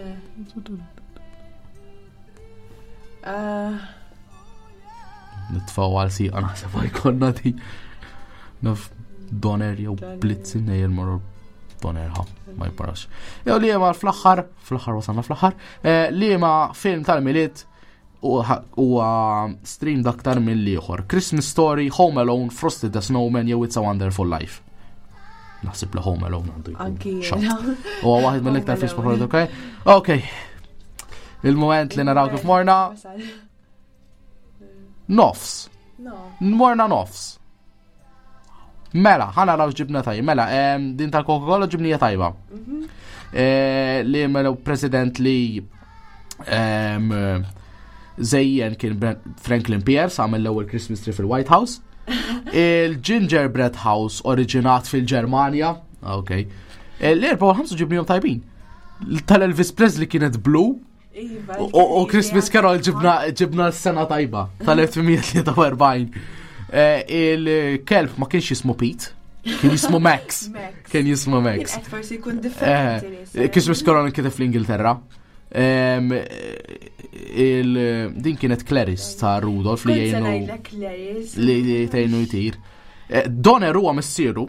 [SPEAKER 11] Ah,
[SPEAKER 8] Nitfaw għal siqa naħseb għajkonna di. Naf Donner jew Blitzen nej il-morru Donner ha, ma jiparax. Jew li ma fl-aħħar, fl-aħħar wasalna fl-aħħar, eh, li ma film tal-Milied huwa streamed aktar mill-ieħor. Christmas Story, Home Alone, Frosty the Snowman jew It's a Wonderful Life. Naħseb li Home Alone għandu jkun.
[SPEAKER 11] Anki
[SPEAKER 8] shot.
[SPEAKER 11] jiena.
[SPEAKER 8] Huwa waħed mill-iktar
[SPEAKER 11] Home
[SPEAKER 8] films
[SPEAKER 11] Alone.
[SPEAKER 8] popolari, ok? Ok. Il-moment li naraw kif morna, nofs.
[SPEAKER 11] No.
[SPEAKER 8] Morna nofs. Mela, ħana raw ġibna tajba. Mela, em, din tal-Coca-Cola ġibnija tajba. Eh, Li mela president li em, zejjen kien Bren- Franklin Pierce għamel l-ewwel Christmas tree fil-White House. Il-Gingerbread House oriġinat fil-Ġermanja. Ok. Eh, L-erba u l-ħamsa ġibnijom tajbin. Tal-Elvis Presley kienet blue.
[SPEAKER 11] Iva,
[SPEAKER 8] U u Christmas Carol ġibna ġibna s-sena tajba tal-elf tmien mija tlieta u erbgħin. Eh, Il-kelb ma kienx jismu Pete, kien jismu Max.
[SPEAKER 11] Max.
[SPEAKER 8] Kien jismu Max.
[SPEAKER 11] Kien qed forsi jkun differenti
[SPEAKER 8] Eh,
[SPEAKER 11] li issa.
[SPEAKER 8] Christmas Carol kien fl-Ingilterra. Em, il- Din kienet Clarice ta' Rudolf li
[SPEAKER 11] Kont se
[SPEAKER 8] jgħinu
[SPEAKER 11] ngħidlek Clarice.
[SPEAKER 8] li li tgħinu jtir. Eh, Donner huwa missieru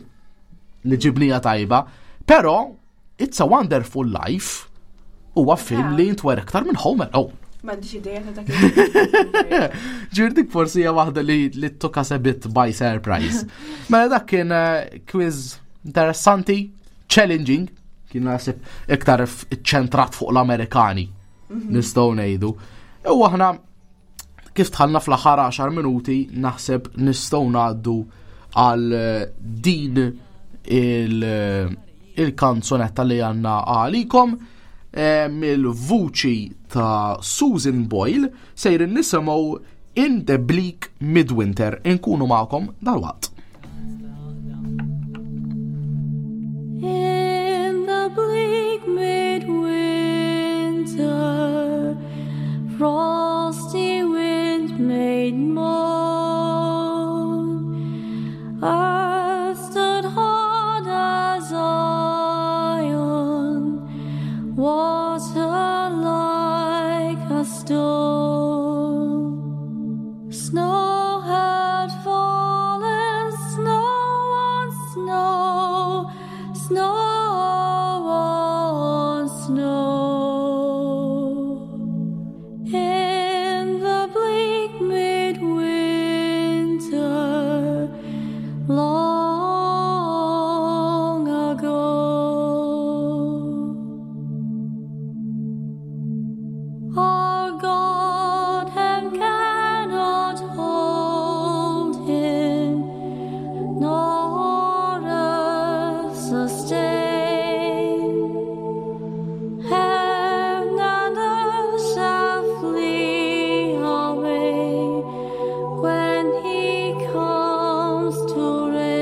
[SPEAKER 8] li ġibnija tajba, però It's a Wonderful Life huwa film li jintwer iktar minn Home Alone.
[SPEAKER 11] M'għandix idea ta' dak il-
[SPEAKER 8] Ġir dik forsi hija waħda li li took us a bit by surprise. Mela dak kien eh, quiz interessanti, challenging, kien naħseb iktar f- ċentrat fuq l-Amerikani,
[SPEAKER 11] Mhm.
[SPEAKER 8] nistgħu ngħidu. U aħna kif tħallna fl-aħħar għaxar minuti naħseb nistgħu ngħaddu għal eh, din il- eh, il-kanzunetta li għandna għalikom eh, mill-vuċi ta' Susan Boyle sejrin nisimgħu In the Bleak Midwinter inkunu magħkom dalwaqt.
[SPEAKER 4] In the bleak midwinter, frosty wind made moan. Earth stood hard as iron, water like a stone. Snow had fallen, snow on snow, snow on snow. In the bleak midwinter, long ago. Our God and cannot hold him, nor earth sustain. Heaven and earth shall flee away when he comes to reign.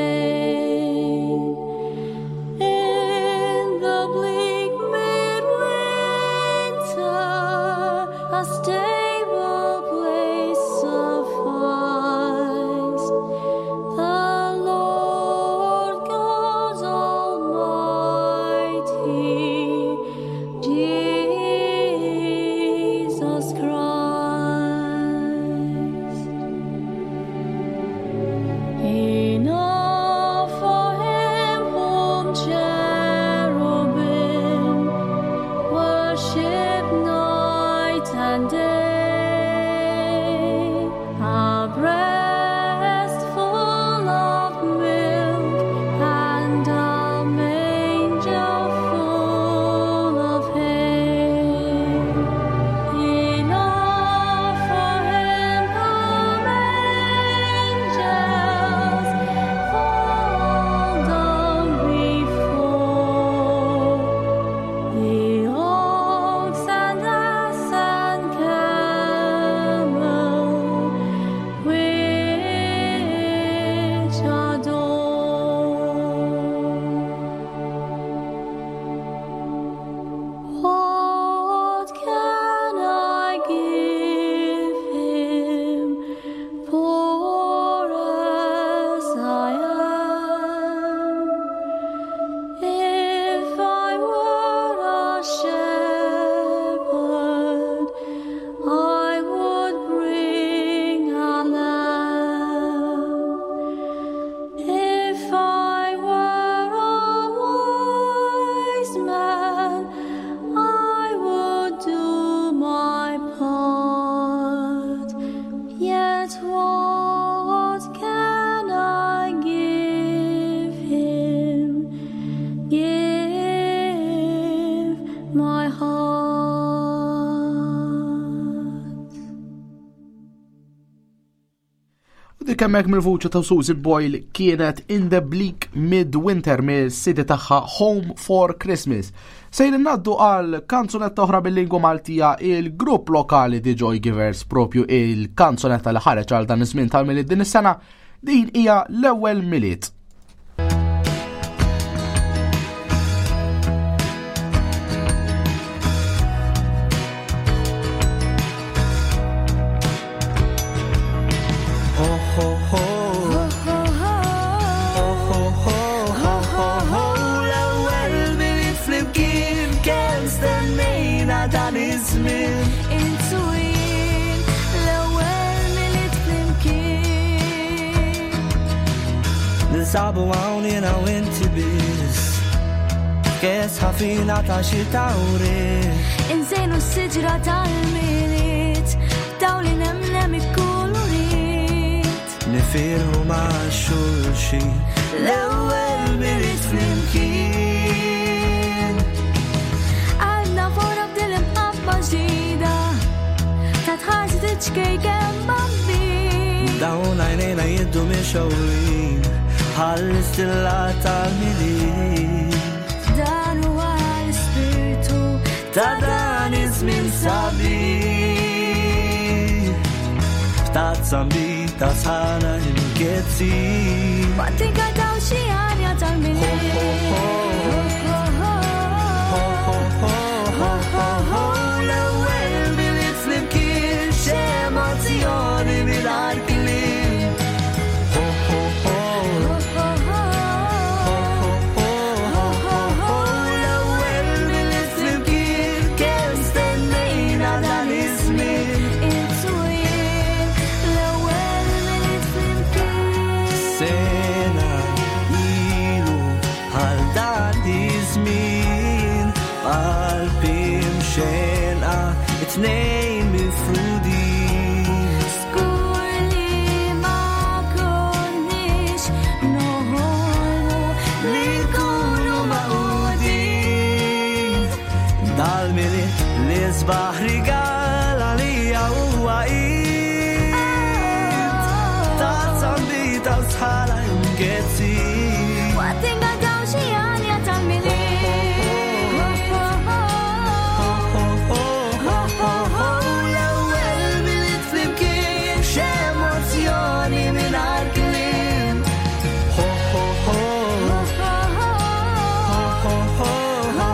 [SPEAKER 8] Dik hemmhekk mill-vuċi ta' Susie Boyle kienet In the Bleak Midwinter mill-C D tagħha Home for Christmas. Sejrin ngħaddu għal kanzunetta oħra bil-lingwa Maltija, il-grupp lokali The Joy Givers, propju il-kanzunetta li ħareġ għal dan iż-żmien tal-Milied din is-sena, din hija L-Ewwel Milied.
[SPEAKER 18] Ho ho ho. Ho ho ho ho ho ho. L-ewwel Milied flimkien kemm stennejna dan iż-żmien.
[SPEAKER 4] Int u jien, l-ewwel Milied flimkien.
[SPEAKER 18] Ninsabu hawn jiena u inti biss. Kes ħafina ta' xi tawri.
[SPEAKER 4] Inżejnu s-siġra tal-Milied, dawl inemnem ikkulurit.
[SPEAKER 18] Nifirħu ma' xulxin. L-ewwel Milied flimkien.
[SPEAKER 4] Għandna fora b'dil imħabba ġdida, ta' tħarsi tiċkejken bambin.
[SPEAKER 18] Dawn għajnejna jiddu mixgħulin bħall-istilla tal-Milied.
[SPEAKER 4] Dan huwa l-ispirtu
[SPEAKER 18] ta' dan iż-żmien sabiħ. F'tazza nbid sħana imkezzi.
[SPEAKER 4] Waqt inkantaw xi għanja tal-Milied.
[SPEAKER 18] Ho ho ho ho ho. L-ewwel Milied flimkien x'emozzjoni mingħajr kliem. Ho ho ho. Ho ho ho ho. L-ewwel Milied flimkien kemm stennejna dan iż-żmien.
[SPEAKER 4] Int u jien, l-ewwel Milied flimkien.
[SPEAKER 18] Sena ilu għal dan iż-żmien qalbi mxenqa it-tnejn mifrudin.
[SPEAKER 4] Żgur li ma konniex noħolmu
[SPEAKER 18] li nkunu magħqudin. Dal-Milied li sbaħ rigal għalija huwa id. Tazza nbid sħana imkezzi.
[SPEAKER 4] Waqt inkantaw xi għanja tal-Milied.
[SPEAKER 18] Ho ho ho. L-ewwel Milied flimkien x'emozzjoni mingħajr kliem. Ho ho ho. Ho ho ho ho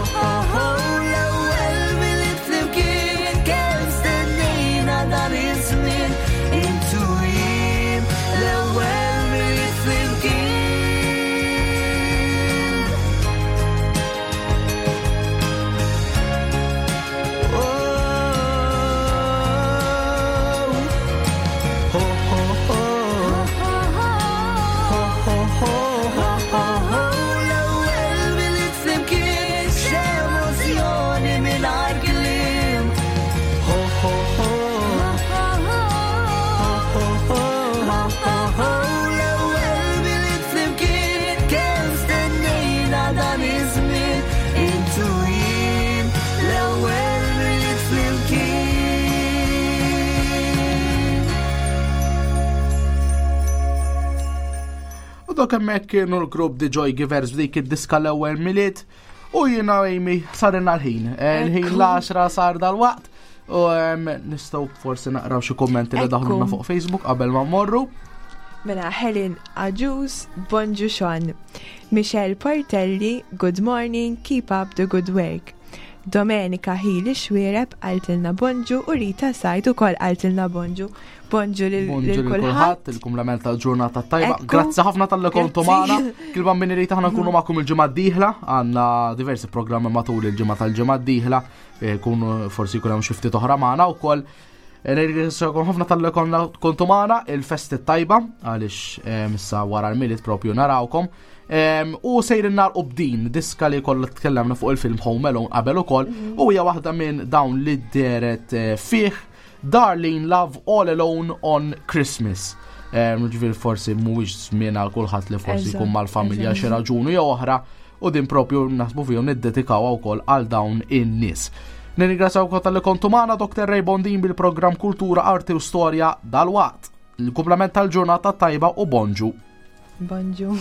[SPEAKER 18] ho. L-ewwel Milied flimkien kemm stennejna dan iż-żmien. Int u jien, l-ewwel Milied flimkien. Oh, ho ho ho. Ho ho ho ho ho ho. L-ewwel Milied flimkien x'emozzjoni mingħajr kliem. Ho ho ho. Ho ho ho ho ho. L-ewwel Milied flimkien kemm stennejna dan iż-żmien. Int u jien, l-ewwel Milied flimkien.
[SPEAKER 8] U dok hemmhekk kienu l-grupp The Joy Givers b'dik id-diska L-Ewwel Milied u jiena Amy sarinna l-ħin. Eh, Il-ħin
[SPEAKER 11] Ekku.
[SPEAKER 8] l-għaxra sar dal-waqt u em, nistgħu forsi naqraw xi kummenti li
[SPEAKER 11] Ekku.
[SPEAKER 8] daħlulna fuq Facebook qabel ma mmorru.
[SPEAKER 11] Mela Helen Aġus, bonġu Sean. Michelle Portelli, good morning, keep up the good work. Domenica Hili Xwireb qaltilna bonġu u Rita Sajd ukoll qaltilna bonġu. Bonġu lil
[SPEAKER 8] Bonġu
[SPEAKER 11] lil
[SPEAKER 8] lil
[SPEAKER 11] kulħadd.
[SPEAKER 8] kulħadd, il-kumplament tal-ġurnata tajba.
[SPEAKER 11] Ekku.
[SPEAKER 8] Grazzi ħafna talli kontu
[SPEAKER 11] Grazzi.
[SPEAKER 8] magħna. Kil-bambini li taħna nkunu magħkom il-ġimgħa d-dieħla, għandna diversi programmi matul il-ġimgħa tal-ġimgħa d-dieħla, eh, kunu forsi jkun hemm xi ftit oħra magħna wkoll. Eh, Nirringrazzjakom ħafna talli kontu magħna, il-festi tajba għaliex eh, issa wara l-Milied propju narawkom. Em, U sejrin nagħlqu b'din diska li kollha tkellemna fuq il-film Home Alone qabel ukoll u hija waħda minn dawn li deret eh, fih Darlene Love, All Alone on Christmas. Em, Ġifieri forsi mhuwiex żmien għal kulħadd li forsi
[SPEAKER 11] Eżatt,
[SPEAKER 8] jkun mal-familja
[SPEAKER 11] eżatt.
[SPEAKER 8] xi raġuni jew oħra u din propju naħsbu fihom niddedikawha wkoll għal dawn in-nies. Nirringrazzjaw talli kontu magħna, Doctor Ray Bondin bil-programm Kultura, Arti u Storja dal-waqt. Il-kumplament tal-ġurnata tajba u bonġu.
[SPEAKER 11] Bonġu.